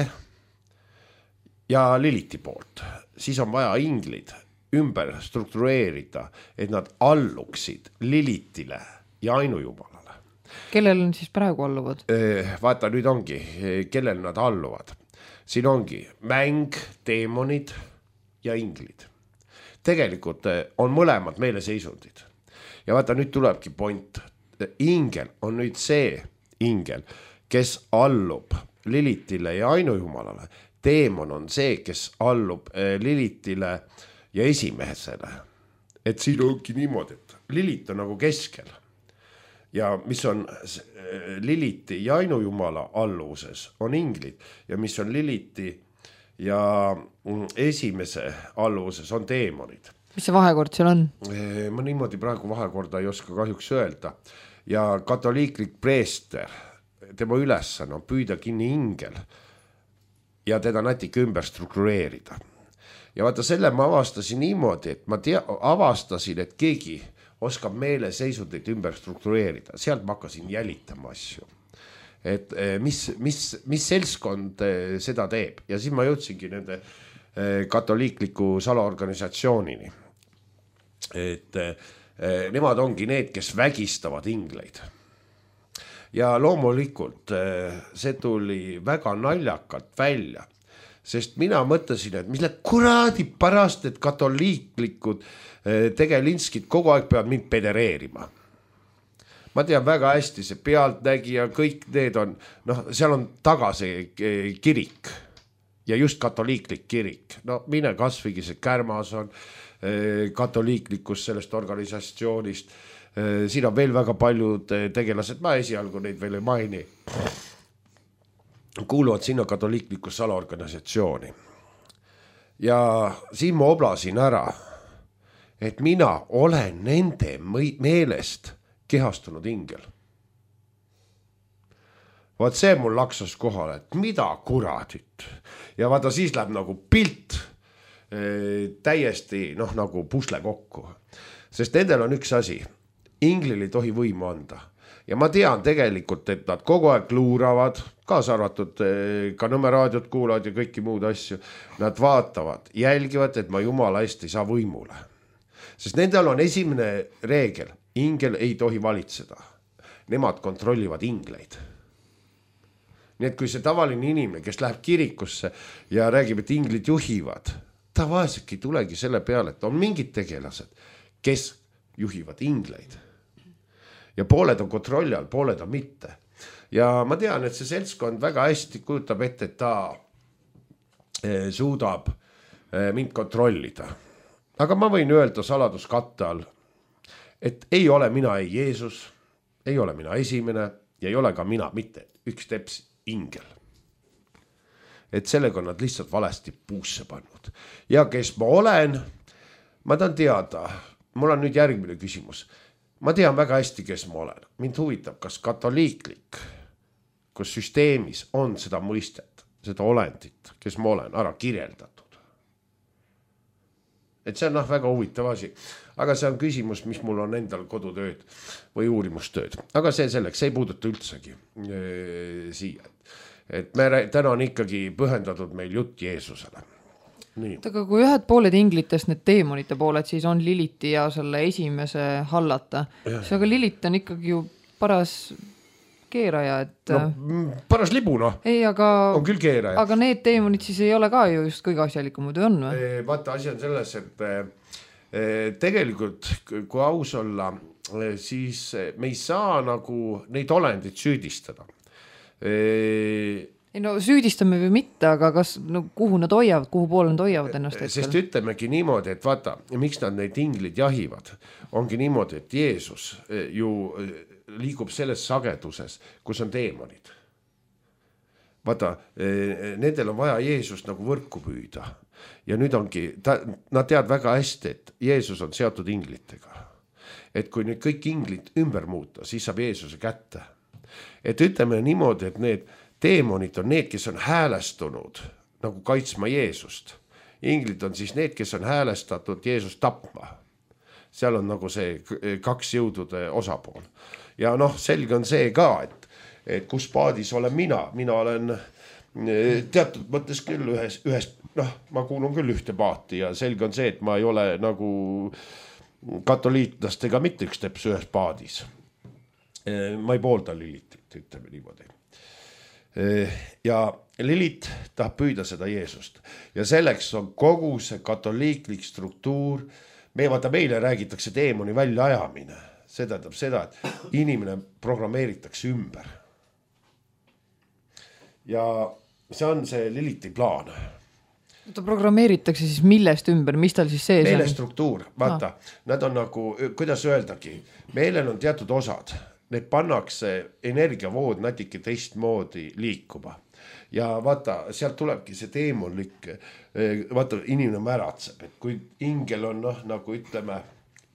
ja Liliti poolt, siis on vaja inglid ümber struktureerida, et nad alluksid Lilitile ja ainujumalale. Kellel on siis praegu alluvad? Vaata, nüüd ongi, kellel nad alluvad. Siin ongi mäng, teemonid ja inglid. Tegelikult on mõlemad meeleseisundid. Ja vaata, nüüd tulebki point. Ingel on nüüd see ingel, kes allub Lilitile ja ainujumalale. Teemon on see, kes allub Lilitile ja esimesele. Et siin ongi niimoodi, et Lilit on nagu keskel. Ja mis on Liliti ja ainujumala alluvuses on inglid ja mis on Liliti ja esimese alluvuses on teemonid. Mis see vahekord seal on? Ma niimoodi praegu vahekorda ei oska kahjuks öelda. Ja katoliiklik preester, tema ülesanne on püüda kinni ingel ja teda natuke ümber struktureerida. Ja vaata, selle ma avastasin niimoodi, et ma avastasin, et keegi oskab meeleseisundit ümber struktureerida. Sealt ma hakkasin jälitama asju. Et mis seltskond seda teeb. Ja siis ma jõudsingi nende katoliikliku salaorganisatsioonini. Et nemad ongi need, kes vägistavad ingleid. ja loomulikult see tuli väga naljakalt välja, sest mina mõtlesin, et mille kuradi pärast, et katoliiklikud tegelinskid kogu aeg peavad mind pedereerima. Ma tean väga hästi, see Pealtnägija, kõik need on, seal on taga see kirik ja just katoliiklik kirik. Mine kasvõi see Kärmas on katoliiklikus sellest organisatsioonist. Siin on veel väga paljud tegelased, ma esialgu neid veel ei maini. Kuuluvad sinna katoliiklikus salaorganisatsiooni. Ja siin ma oblasin ära, et mina olen nende meelest kehastunud ingel. Vaat see mul laksas kohale, et mida kuradit. Ja vaata siis läheb nagu pilt täiesti nagu pusle kokku. Sest nendel on üks asi, inglil ei tohi võimu anda. Ja ma tean tegelikult, et nad kogu aeg luuravad, kaasa arvatud ka Nõmme raadiot kuulavad ja kõiki muud asju. Nad vaatavad, jälgivad, et ma jumala eest ei saa võimule. Sest nendel on esimene reegel, ingel ei tohi valitseda. Nemad kontrollivad ingleid. Nii et kui see tavaline inimene, kes läheb kirikusse ja räägib, et inglid juhivad, ta vaeselt ei tulegi selle peale, et on mingid tegelased, kes juhivad ingleid. Ja pooled on kontrolli all, pooled on mitte. Ja ma tean, et see seltskond väga hästi kujutab ette, et ta suudab mind kontrollida. Aga ma võin öelda saladuskatte all, et ei ole mina ei Jeesus, ei ole mina esimene ja ei ole ka mina mitte üks teps ingel. Et sellega on nad lihtsalt valesti puusse pannud. Ja kes ma olen, ma tahan teada, mul on nüüd järgmine küsimus. Ma tean väga hästi, kes ma olen. Mind huvitab, kas katoliiklik, kus süsteemis on seda mõistet, seda olendit, kes ma olen, ära kirjeldatud. Et see on väga huvitav asi. Aga see on küsimus, mis mul on endal kodutööd või uurimustööd. Aga see selleks, see ei puuduta üldsegi siia. Et me täna on ikkagi pühendatud meil jutt Jeesusele. Nii. Aga kui ühed pooled inglitest, need teemonite pooled, siis on Liliti ja selle esimese hallata. See aga Lilit on ikkagi ju paras keeraja, et... paras libu, Ei, aga... On küll keeraja. Aga need teemonid siis ei ole ka ju just kõige asjalikumad või on või? Vaata, asi on selles, et tegelikult, kui aus olla, siis me ei saa nagu neid olendid süüdistada. Ei no süüdistame või mitte, aga kas, kuhu nad hoiavad, kuhu poole nad hoiavad ennast hetkel? Sest ütlemegi niimoodi, et vaata, miks nad neid inglid jahivad, ongi niimoodi, et Jeesus ju liigub selles sageduses, kus on teemonid. Vaata, nendel on vaja Jeesust nagu võrku püüda. Ja nüüd ongi, nad teavad väga hästi, et Jeesus on seotud inglitega. Et kui nüüd kõik inglid ümber muuta, siis saab Jeesuse kätte. Et ütleme niimoodi, et need teemonid on need, kes on häälestunud nagu kaitsma Jeesust. Inglid on siis need, kes on häälestatud Jeesust tapma. Seal on nagu see kaks jõudude osapool. Ja selge on see ka, et kus paadis olen mina olen teatud mõttes küll ühes, ma kuulun küll ühte paati ja selge on see, et ma ei ole nagu katoliitlastega mitte üks teps ühes paadis. Ma ei poolda Lilitit, ütleme niimoodi. Ja Lilit tahab püüda seda Jeesust ja selleks on kogu see katoliiklik struktuur. Meile räägitakse teemoni välja ajamine. See tähendab seda, et inimene programmeeritakse ümber. Ja see on see Liliti plaan. Ta programmeeritakse siis millest ümber, mis tal siis sees on? Meile struktuur, vaata, nad on nagu, kuidas öeldagi, meilel on teatud osad. Need pannakse energiavood natuke teistmoodi liikuma. Ja vaata, sealt tulebki see teemonlik, vaata, inimene märatseb, et kui ingel on nagu ütleme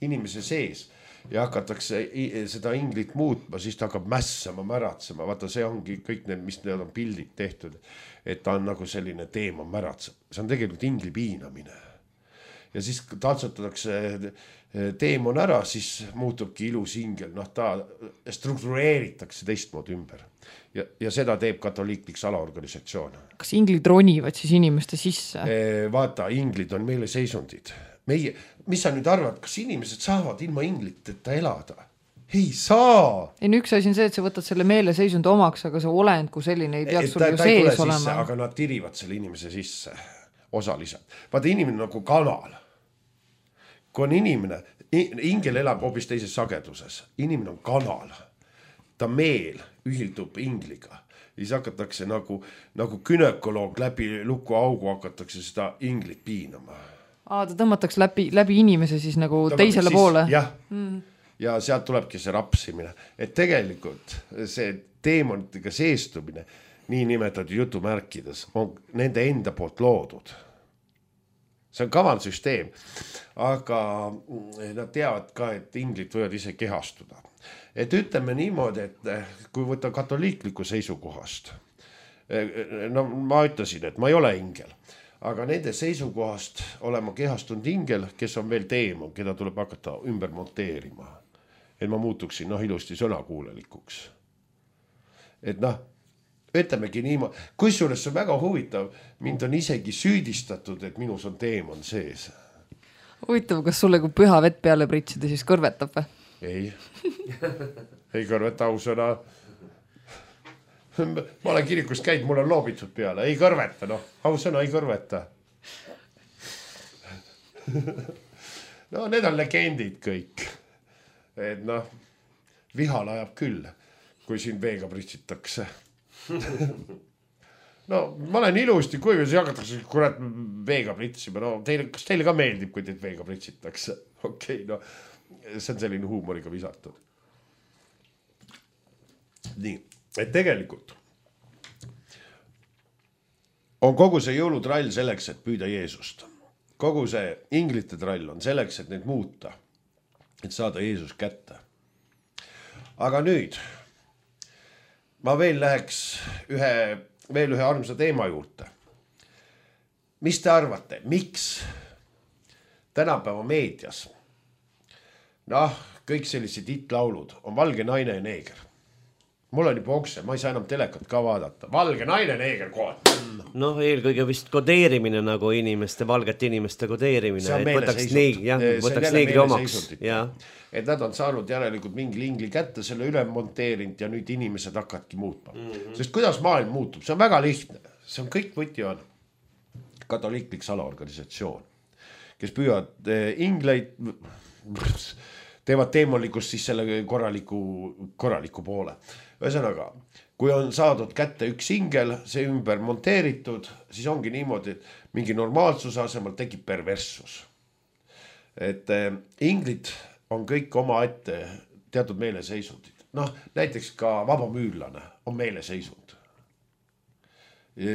inimese sees ja hakatakse seda inglit muutma, siis ta hakkab mässama, märatsema. Vaata, see ongi kõik need, mis need on pildid tehtud, et ta on nagu selline teemon märatseb. See on tegelikult ingli piinamine. Ja siis taltsutatakse teemon ära, siis muutubki ilus ingel. Ta struktureeritakse teistmoodi ümber. Ja seda teeb katoliiklik salaorganisatsioon. Kas inglid ronivad siis inimeste sisse? Vaata, inglid on meile seisundid. Mis sa nüüd arvad, kas inimesed saavad ilma ingliteta elada? ei saa. Ei, üks asi on see, et sa võtad selle meeleseisundi omaks, aga see olend kui selline ei peaks sul ju sees olema. Aga nad tirivad selle inimese sisse osaliselt. Vaata, inimene nagu kanal. Kui on inimene, ingel elab hoopis teises sageduses. Inimene on kanal. Ta meel ühildub ingliga. Siis hakatakse nagu gynekoloog läbi lukuaugu hakatakse seda inglit piinama. Ta tõmmatakse läbi inimese siis nagu teisele poole. Jah. Ja sealt tulebki see rapsimine. Et tegelikult see teemonitega seestumine, nii nimetatud jutumärkides, on nende enda poolt loodud. See on kaval süsteem. Aga nad teavad ka, et inglid võivad ise kehastuda. Et ütleme niimoodi, et kui võtta katoliikliku seisukohast, no ma ütlesin, et ma ei ole ingel, aga nende seisukohast olema kehastunud ingel, kes on veel teemon, keda tuleb hakata ümber monteerima. Et ma muutuksin ilusti sõnakuulelikuks. Et ütlemegi niimoodi, kusjuures see on väga huvitav, mind on isegi süüdistatud, et minus on teemon sees. Huvitav, kas sulle kui püha vett peale pritsida siis kõrvetab või? Ei kõrveta ausõna. Ma olen kirikus käid, mul on loobitud peale, ei kõrveta, ausõna ei kõrveta. No need on legendid kõik. Et vihal ajab küll, kui siin veega pritsitakse. No ma olen ilusti kuiv ja siis hakatakse kurat veega pritsima. No kas teile ka meeldib, kui teid veega pritsitakse? Okei, see on selline huumoriga visatud. Nii, et tegelikult on kogu see jõulutrall selleks, et püüda Jeesust. Kogu see inglite trall on selleks, et neid muuta, et saada Jeesus kätte. Aga nüüd ma veel läheks veel ühe armsa teema juurde. Mis te arvate, miks tänapäeva meedias kõik sellised hitlaulud on valge naine ja neeger? Mul on juba okse, ma ei saa enam telekat ka vaadata. Valge naine, neeger kood. Eelkõige vist kodeerimine nagu valgete inimeste kodeerimine. See on võtaks neegri omaks. Et nad on saanud järelikult mingi ingli kätte, selle üle monteerinud ja nüüd inimesed hakkadki muutma. Sest kuidas maailm muutub, see on väga lihtne. See on kõik võti on katoliiklik salaorganisatsioon, kes püüavad ingleid, teevad teemonlikust siis selle korraliku poole. Ühesõnaga, kui on saadud kätte üks ingel, see ümber monteeritud, siis ongi niimoodi, et mingi normaalsuse asemel tekib perverssus. Et inglid on kõik oma ette teatud meeleseisundid. Näiteks ka vabamüürlane on meeleseisund.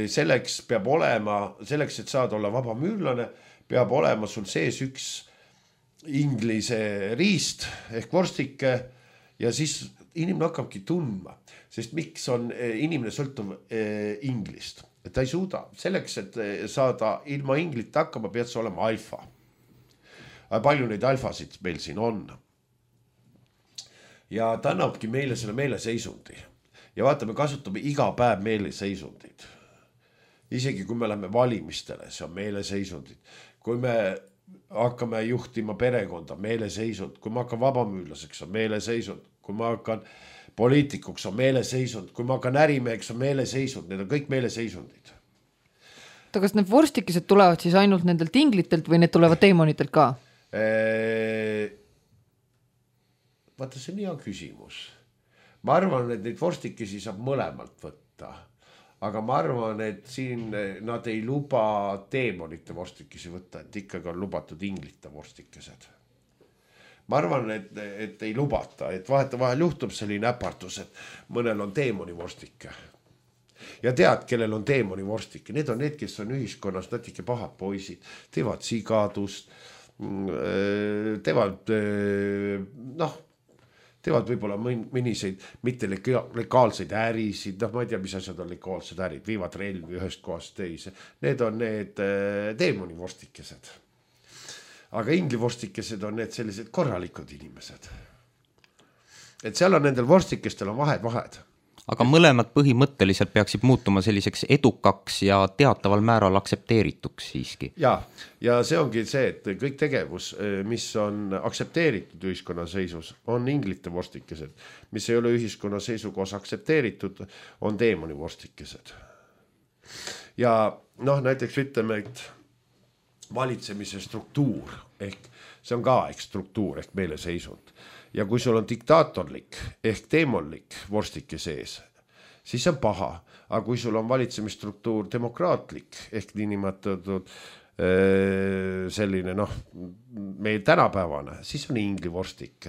Selleks, et saada olla vabamüürlane, peab olema sul sees üks inglise riist ehk vorstike ja siis inimene hakkabki tundma, sest miks on inimene sõltuv inglist, et ta ei suuda. Selleks, et saada ilma inglit hakkama, pead sa olema alfa. Palju neid alfasid meil siin on. Ja ta annabki meile selle meeleseisundi. Ja vaata, me kasutame iga päev meeleseisundid. Isegi kui me läheme valimistele, see on meeleseisundid. Kui me hakkame juhtima perekonda, meeleseisund. Kui ma hakkan vabamüürlaseks, on meeleseisund. Kui ma hakkan poliitikuks, on meeleseisund. Kui ma hakkan ärimeheks, on meeleseisund. Need on kõik meeleseisundid. Kas need vorstikesed tulevad siis ainult nendelt inglitelt või need tulevad teemonitelt ka? Vaata, see on hea küsimus. Ma arvan, et neid vorstikesi saab mõlemalt võtta. Aga ma arvan, et siin nad ei luba teemonite vorstikesi võtta, et ikkagi on lubatud inglite vorstikesed. Ma arvan, et ei lubata, et vahel juhtub selline äpartus, et mõnel on teemoni vorstike. Ja tead, kellel on teemoni vorstike, need on need, kes on ühiskonnas natuke pahad poisid, teevad sigadust, teevad võib-olla mõniseid mitte legaalseid ärisid, ma ei tea, mis asjad on legaalsed ärid, viivad relvi ühest kohast teise. Need on need teemoni vorstikesed. Aga ingli vorstikesed on need sellised korralikud inimesed. Et seal on nendel vorstikestel on vahed. aga mõlemad põhimõtteliselt peaksid muutuma selliseks edukaks ja teataval määral aktsepteerituks siiski. Ja see ongi see, et kõik tegevus, mis on aktsepteeritud ühiskonna seisus, on inglite vorstikesed, mis ei ole ühiskonna seisukohas aktsepteeritud, on teemoni vorstikesed. Ja noh, näiteks ütleme, et valitsemise struktuur ehk see on ka struktuur ehk meeleseisund. Ja kui sul on diktaatorlik ehk teemonlik vorstike sees, siis see on paha. Aga kui sul on valitsemisstruktuur demokraatlik ehk niinimetatud selline meil tänapäevane, siis on ingli vorstik.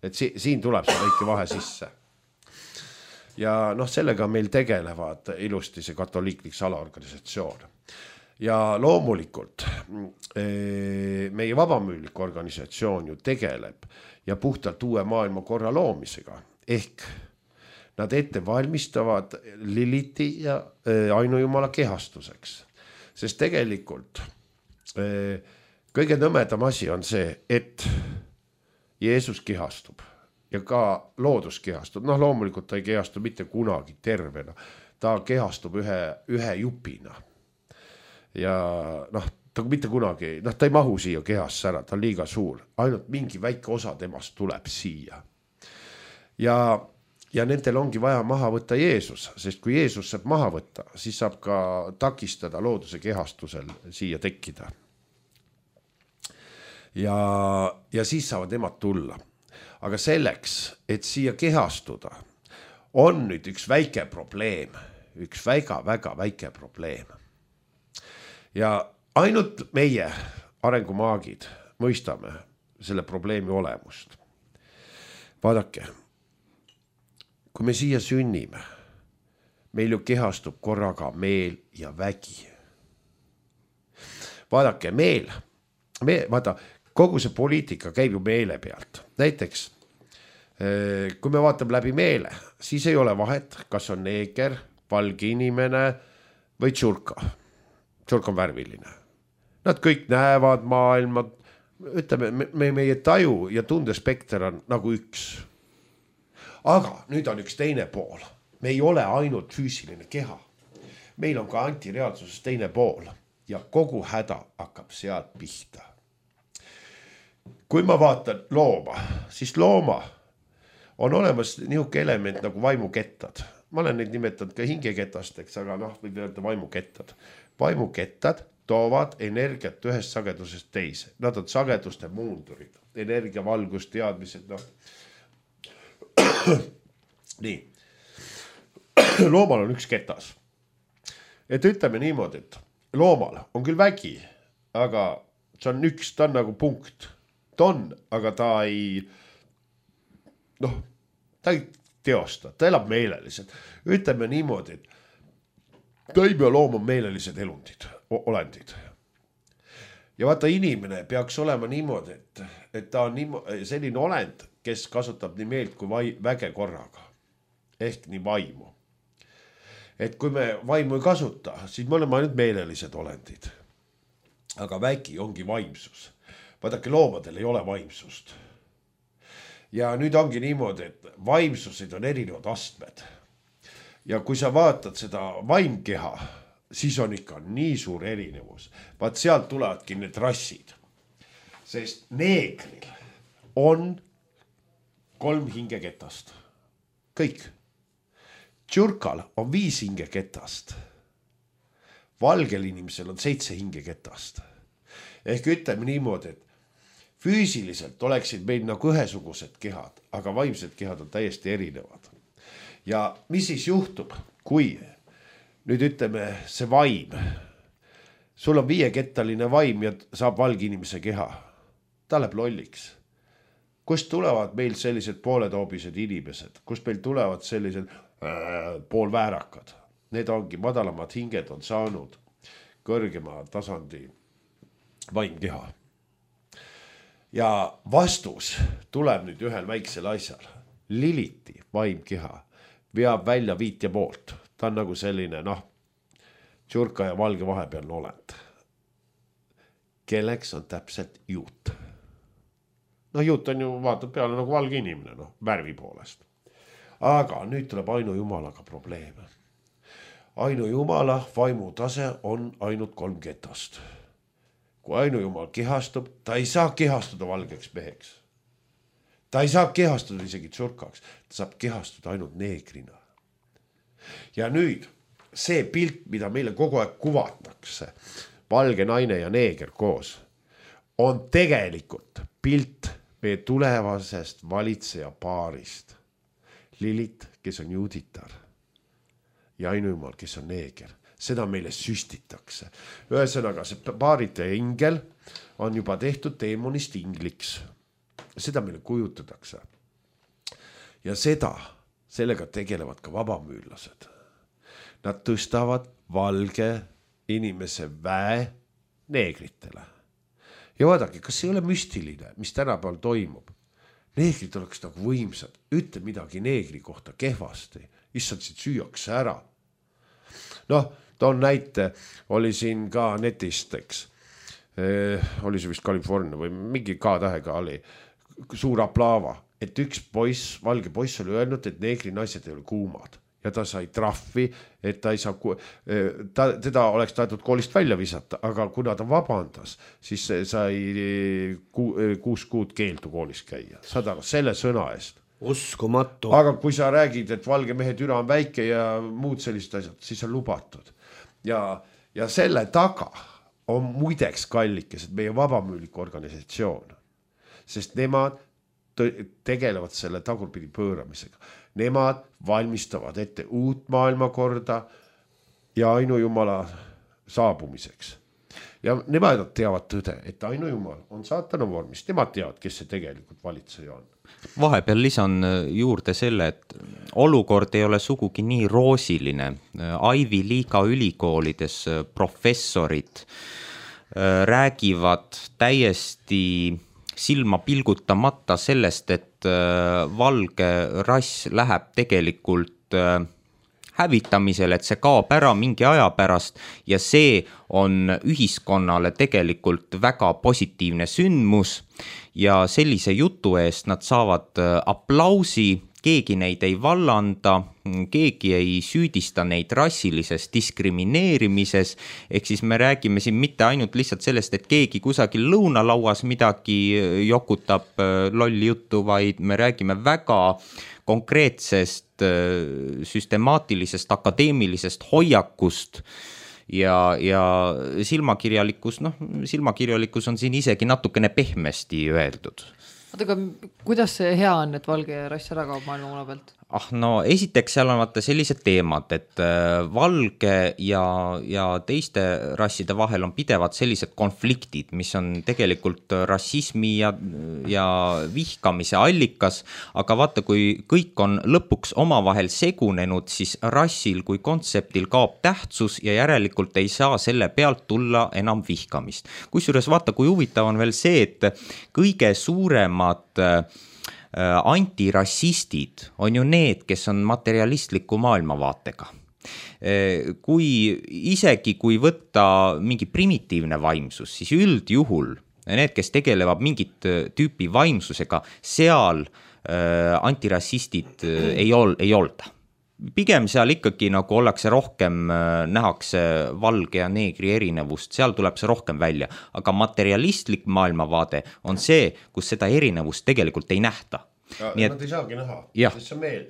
Et siin tuleb see väike vahe sisse. Ja sellega meil tegelevad ilusti see katoliiklik salaorganisatsioon. Ja loomulikult meie vabamüülik organisatsioon ju tegeleb ja puhtalt uue maailma korra loomisega. Ehk nad ette valmistavad Liliti ja ainujumala kehastuseks. Sest tegelikult kõige nõmedam asi on see, et Jeesus kehastub ja ka loodus kehastub. Loomulikult ta ei kehastu mitte kunagi tervena. Ta kehastub ühe jupina. Ja ta mitte kunagi, ta ei mahu siia kehasse ära, ta on liiga suur. Ainult mingi väike osa temast tuleb siia. Ja nendel ongi vaja maha võtta Jeesus, sest kui Jeesus saab maha võtta, siis saab ka takistada looduse kehastusel siia tekkida. Ja siis saavad nemad tulla. Aga selleks, et siia kehastuda, on nüüd üks väike probleem, üks väga väike probleem. Ja ainult meie arengumaagid mõistame selle probleemi olemust. Vaadake, kui me siia sünnime, meil ju kehastub korraga meel ja vägi. Vaadake, vaata, kogu see poliitika käib ju meele pealt. Näiteks, kui me vaatame läbi meele, siis ei ole vahet, kas on neeger, valge inimene või tšurka. Tšurk on värviline. Nad kõik näevad maailma, ütleme, meie taju ja tundespekter on nagu üks. Aga nüüd on üks teine pool. Me ei ole ainult füüsiline keha. Meil on ka antireaalsuses teine pool ja kogu häda hakkab sealt pihta. Kui ma vaatan looma, siis looma on olemas niisugune element nagu vaimukettad. Ma olen neid nimetanud ka hingeketasteks, aga võib öelda vaimukettad. Vaimukettad toovad energiat ühest sagedusest teise. Nad on sageduste muundurid, energia, valgus, teadmised. Nii. Loomal on üks ketas. Et ütleme niimoodi, et loomal on küll vägi, aga see on üks, ta on nagu punkt. Ta on, aga ta ei teosta, ta elab meeleliselt. Ütleme niimoodi, et taim ja loom on meelelised olendid. Ja vaata, inimene peaks olema niimoodi, et ta on selline olend, kes kasutab nii meelt kui väge korraga. Ehk nii vaimu. Et kui me vaimu ei kasuta, siis me oleme ainult meelelised olendid. Aga vägi ongi vaimsus. Vaadake, loomadel ei ole vaimsust. Ja nüüd ongi niimoodi, et vaimsused on erinevad astmed. Ja kui sa vaatad seda vaimkeha, siis on ikka nii suur erinevus. Vaat sealt tulevadki need rassid. Sest neegril on 3 hingeketast. Kõik. Tšurkal on 5 hingeketast. Valgel inimesel on 7 hingeketast. Ehk ütleme niimoodi, et füüsiliselt oleksid meil nagu ühesugused kehad, aga vaimsed kehad on täiesti erinevad. Ja mis siis juhtub, kui nüüd ütleme see vaim, sul on 5-kettaline vaim ja saab valge inimese keha, ta läheb lolliks. Kust tulevad meil sellised pooletoobised inimesed, kust meil tulevad sellised poolväärakad? Need ongi madalamad hinged on saanud kõrgema tasandi vaimkeha. Ja vastus tuleb nüüd ühel väiksel asjal. Liliti vaimkeha veab välja 5,5. Ta on nagu selline, tšurka ja valge vahepealne olend. Kelleks on täpselt juut. Juut on ju, vaatab peale nagu valge inimene, värvi poolest. aga nüüd tuleb ainujumalaga probleeme. Ainujumala vaimutase on ainult 3 getost. Kui ainujumal kehastub, ta ei saa kehastuda valgeks meheks. Ta ei saa kehastuda isegi tsurkaks, ta saab kehastuda ainult neegrina. Ja nüüd see pilt, mida meile kogu aeg kuvatakse, valge naine ja neeger koos, on tegelikult pilt meie tulevasest valitseja paarist. Lilit, kes on juuditar ja ainujumal, kes on neeger. Seda meile süstitakse. Ühesõnaga, see paarite ingel on juba tehtud teemonist ingliks. Seda meile kujutatakse. Ja sellega tegelevad ka vabamüürlased. Nad tõstavad valge inimese väe neegritele. Ja vaadake, kas ei ole müstiline, mis tänapäeval toimub? Neegrid oleks nagu võimsad, ütle midagi neegri kohta kehvasti, issand siit süüakse ära. Noh, toon näite, oli siin ka netist, eks. Oli see vist California või mingi K-tähega oli suur aplaava, et üks poiss, valge poiss oli öelnud, et neegri naised ei ole kuumad. Ja ta sai trahvi, et ta ei saa, teda oleks tahetud koolist välja visata, aga kuna ta vabandas, siis sai 6 kuud keeldu koolis käia. Saad aru, selle sõna eest. Uskumatu. Aga kui sa räägid, et valge mehe türa on väike ja muud sellised asjad, siis on lubatud. Ja selle taga on muideks kallikesed meie vabamüüliku organisatsioon, sest nemad tegelevad selle tagurpidi pööramisega. Nemad valmistavad ette uut maailmakorda ja ainujumala saabumiseks. Ja nemad teavad tõde, et ainujumal on saatana vormis. Nemad teavad, kes see tegelikult valitseja on. Vahepeal lisan juurde selle, et olukord ei ole sugugi nii roosiline. Ivy League'i ülikoolides professorid räägivad täiesti silma pilgutamata sellest, et valge rass läheb tegelikult hävitamisele, et see kaob ära mingi aja pärast ja see on ühiskonnale tegelikult väga positiivne sündmus ja sellise jutu eest nad saavad aplausi, keegi neid ei vallanda, keegi ei süüdista neid rassilises diskrimineerimises, ehk siis me räägime siin mitte ainult lihtsalt sellest, et keegi kusagil lõunalauas midagi jokutab lolli juttu, vaid me räägime väga konkreetsest, süstemaatilisest, akadeemilisest hoiakust ja silmakirjalikkus, silmakirjalikkus on siin isegi natukene pehmesti öeldud. Aga kuidas see hea on, et valge rass ära kaob maailma pealt? No esiteks seal on vaata sellised teemad, et valge ja teiste rasside vahel on pidevad sellised konfliktid, mis on tegelikult rassismi ja vihkamise allikas, aga vaata, kui kõik on lõpuks omavahel segunenud, siis rassil kui kontseptil kaob tähtsus ja järelikult ei saa selle pealt tulla enam vihkamist. Kusjuures vaata, kui huvitav on veel see, et kõige suuremad antirassistid on ju need, kes on materialistliku maailmavaatega. Kui võtta mingi primitiivne vaimsus, siis üldjuhul need, kes tegelevad mingit tüüpi vaimsusega, seal antirassistid ei olda. Pigem seal ikkagi nagu ollakse rohkem, nähakse valge ja neegri erinevust, seal tuleb see rohkem välja, aga materialistlik maailmavaade on see, kus seda erinevust tegelikult ei nähta. Nad ei saagi näha, sest see on meel.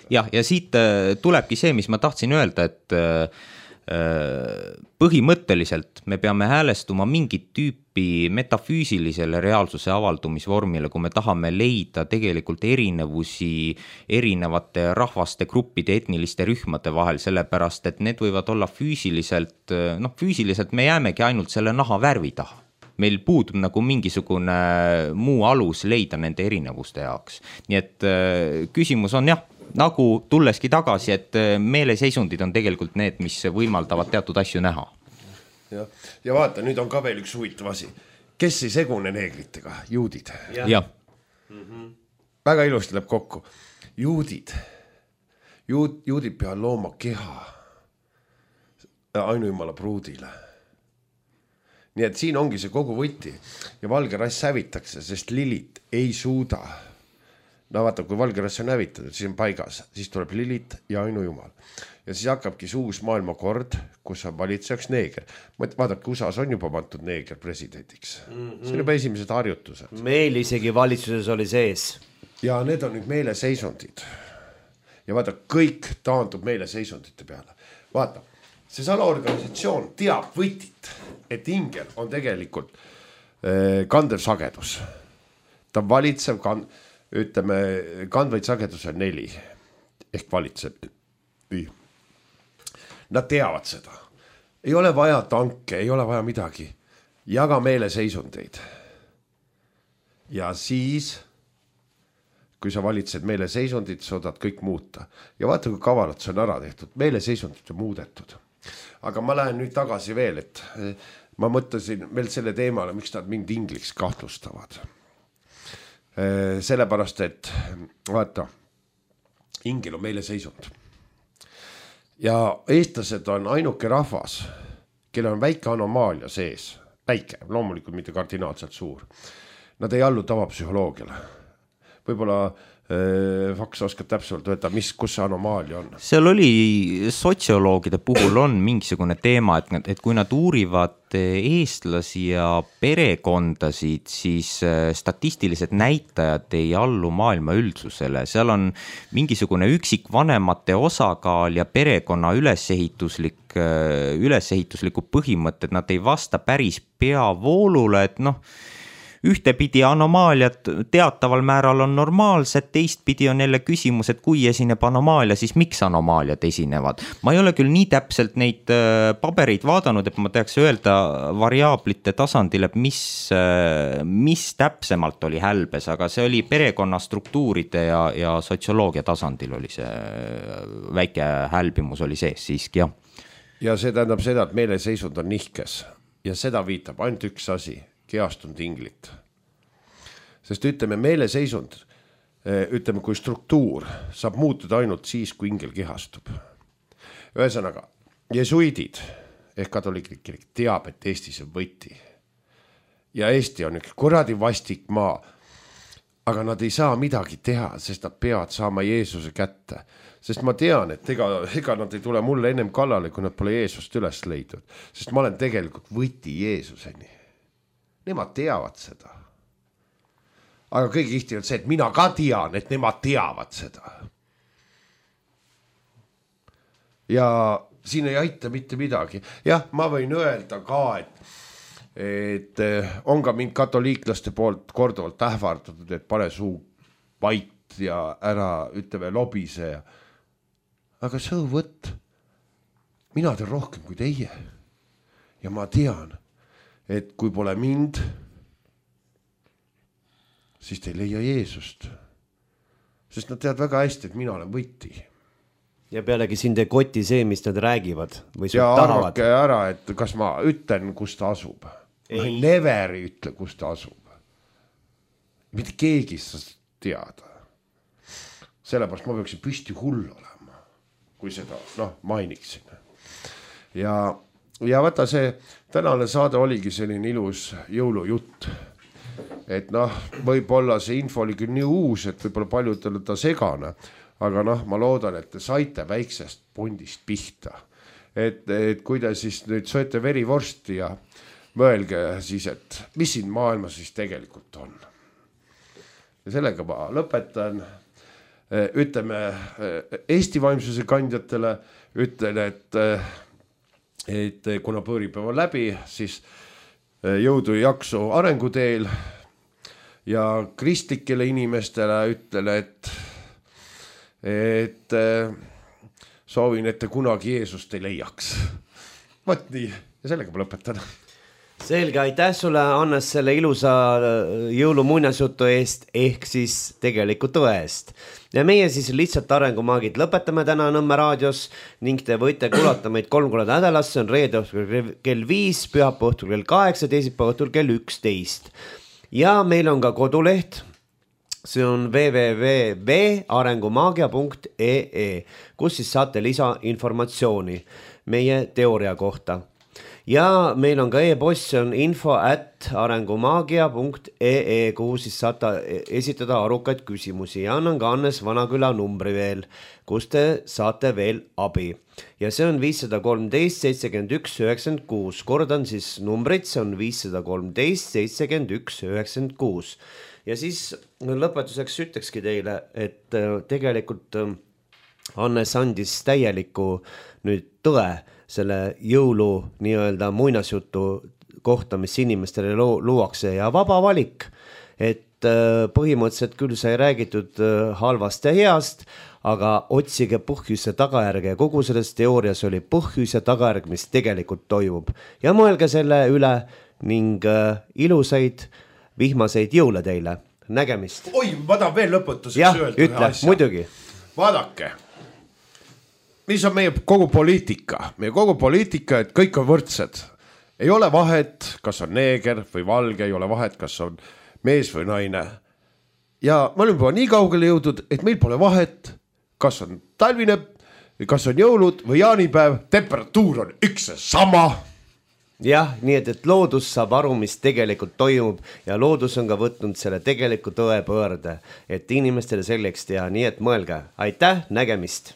Ja siit tulebki see, mis ma tahtsin öelda, et põhimõtteliselt me peame häälestuma mingit tüüpi metafüüsilisele reaalsuse avaldumisvormile, kui me tahame leida tegelikult erinevusi erinevate rahvaste, gruppide, etniliste rühmade vahel, sellepärast, et need võivad olla füüsiliselt me jäämegi ainult selle naha värvi taha. Meil puudub nagu mingisugune muu alus leida nende erinevuste jaoks. Nii et küsimus on nagu tulleski tagasi, et meeleseisundid on tegelikult need, mis võimaldavad teatud asju näha. Ja vaata, nüüd on ka veel üks huvitav asi. Kes ei segune neegritega? Juudid. Ja. Väga ilusti läheb kokku. Juudid peavad looma keha ainujumala pruudile. Nii et siin ongi see kogu võti ja valge rass hävitakse, sest Lilit ei suuda no vaata, kui valgerasse on hävitatud, siis on paigas, siis tuleb Lilith ja ainujumal. Ja siis hakkabki see uus maailmakord, kus on valitsejaks neeger. Vaadake, USA-s on juba pandud neeger presidendiks. See on juba esimesed harjutused. Meil isegi valitsuses oli sees. Ja need on nüüd meeleseisundid. Ja vaata, kõik taandub meeleseisundite peale. Vaata, see salaorganisatsioon teab võtit, et ingel on tegelikult kandev sagedus. Ta valitsev, ütleme, kandvaid sagedus on 4 ehk valitseb. Nad teavad seda. Ei ole vaja tanke, ei ole vaja midagi. Jaga meeleseisundeid. Ja siis, kui sa valitsed meeleseisundid, suudad kõik muuta. Ja vaata, kui kavalalt see on ära tehtud. Meeleseisundid on muudetud. Aga ma lähen nüüd tagasi veel, et ma mõtlesin veel selle teemale, miks nad mind ingliks kahtlustavad. Sellepärast, et vaata, ingel on meeleseisund. Ja eestlased on ainuke rahvas, kelle on väike anomaalia sees. Väike, loomulikult mitte kardinaalselt suur. Nad ei allu tavapsühholoogiale. Võib-olla Faks oskab täpselt öelda, kus see anomaalia on. Seal oli sotsioloogide puhul on mingisugune teema, et kui nad uurivad eestlasi ja perekondasid, siis statistilised näitajad ei allu maailma üldsusele. Seal on mingisugune üksikvanemate osakaal ja perekonna ülesehitusliku põhimõtted, nad ei vasta päris peavoolule, et ühtepidi anomaaliad teataval määral on normaalsed, teistpidi on jälle küsimus, et kui esineb anomaalia, siis miks anomaaliad esinevad. Ma ei ole küll nii täpselt neid pabereid vaadanud, et ma teaks öelda variaablite tasandil, et mis täpsemalt oli hälbes, aga see oli perekonna struktuuride ja sotsioloogia tasandil oli see väike hälbimus oli sees siiski, jah. Ja see tähendab seda, et meeleseisund on nihkes ja seda viitab ainult üks asi. Keastunud inglit. Sest ütleme, meeleseisund, ütleme, kui struktuur saab muutuda ainult siis, kui ingel kehastub. Ühesõnaga, jesuidid ehk katoliiklik kirik teab, et Eestis on võti. Ja Eesti on üks kuradi vastik maa. Aga nad ei saa midagi teha, sest nad peavad saama Jeesuse kätte. Sest ma tean, et ega nad ei tule mulle ennem kallale, kui nad pole Jeesust üles leidnud. Sest ma olen tegelikult võti Jeesuseni. Nemad teavad seda. Aga kõige kihti on see, et mina ka tean, et nemad teavad seda. Ja siin ei aita mitte midagi. Jah, ma võin öelda ka, et on ka mind katoliiklaste poolt korduvalt ähvardatud, et pane suu vait ja ära, ütleme, lobise. Aga so what? Mina teen rohkem kui teie. Ja ma tean, et kui pole mind, siis te ei leia Jeesust. Sest nad teavad väga hästi, et mina olen võti. Ja pealegi sind ei koti see, mis nad räägivad või ja arvake ära, et kas ma ütlen, kus ta asub. Ma never ei ütle, kus ta asub. Mitte keegi sa teada. Sellepärast ma peaksin püsti hull olema, kui seda mainiksin. Ja vaata see tänane saade oligi selline ilus jõulujutt. Et võib-olla see info oli küll nii uus, et võib-olla paljudele ta segane, aga ma loodan, et te saite väiksest pundist pihta. Et kui te siis nüüd sööte verivorsti ja mõelge siis, et mis siin maailmas siis tegelikult on. Ja sellega ma lõpetan. Ütleme Eesti vaimsuse kandjatele, ütlen, et kuna põõripäev on läbi, siis jõudu ja jaksu arenguteel ja kristlikele inimestele ütlen, et soovin, et te kunagi Jeesust ei leiaks. Võt nii, ja sellega ma lõpetan. Selge, aitäh sulle, Hannes, selle ilusa jõulumuinasjutu eest ehk siis tegelikult tõest. Ja meie siis lihtsalt arengumaagid lõpetame täna Nõmme raadios ning te võite kuulata meid 3 korda nädalas, see on reede õhtul kell 5, pühapäeva õhtul kell 8, teisipäeva õhtul kell 11. Ja meil on ka koduleht, see on www.arengumaagia.ee, kus siis saate lisainformatsiooni meie teooria kohta. ja meil on ka e-post, see on info@arengumaagia.ee, kuhu siis saate esitada arukaid küsimusi ja annan ka Hannes Vanaküla numbri veel, kus te saate veel abi. Ja see on 513 71 96, kordan siis numbrit, see on 513 71 96. Ja siis lõpetuseks ütlekski teile, et tegelikult Hannes andis täieliku nüüd tõe selle jõulu nii-öelda muinasjutu kohta, mis inimestele luuakse ja vaba valik. Et põhimõtteliselt küll sai räägitud halvast ja heast, aga otsige põhjus ja tagajärge ja kogu selles teoorias oli põhjus ja tagajärg, mis tegelikult toimub. Ja mõelge selle üle ning ilusaid vihmaseid jõule teile. Nägemist. Oi, ma tahan veel lõpetuseks öelda ütle, muidugi. Vaadake, mis on meie kogu poliitika? Meie kogu poliitika, et kõik on võrdsed. Ei ole vahet, kas on neeger või valge, ei ole vahet, kas on mees või naine. Ja ma olen juba nii kaugele jõudnud, et meil pole vahet, kas on talvine, kas on jõulud või jaanipäev, temperatuur on üks ja sama. Jah, nii et loodus saab aru, mis tegelikult toimub ja loodus on ka võtnud selle tegeliku tõe pöörde, et inimestele selleks teha, nii et mõelge. Aitäh, nägemist!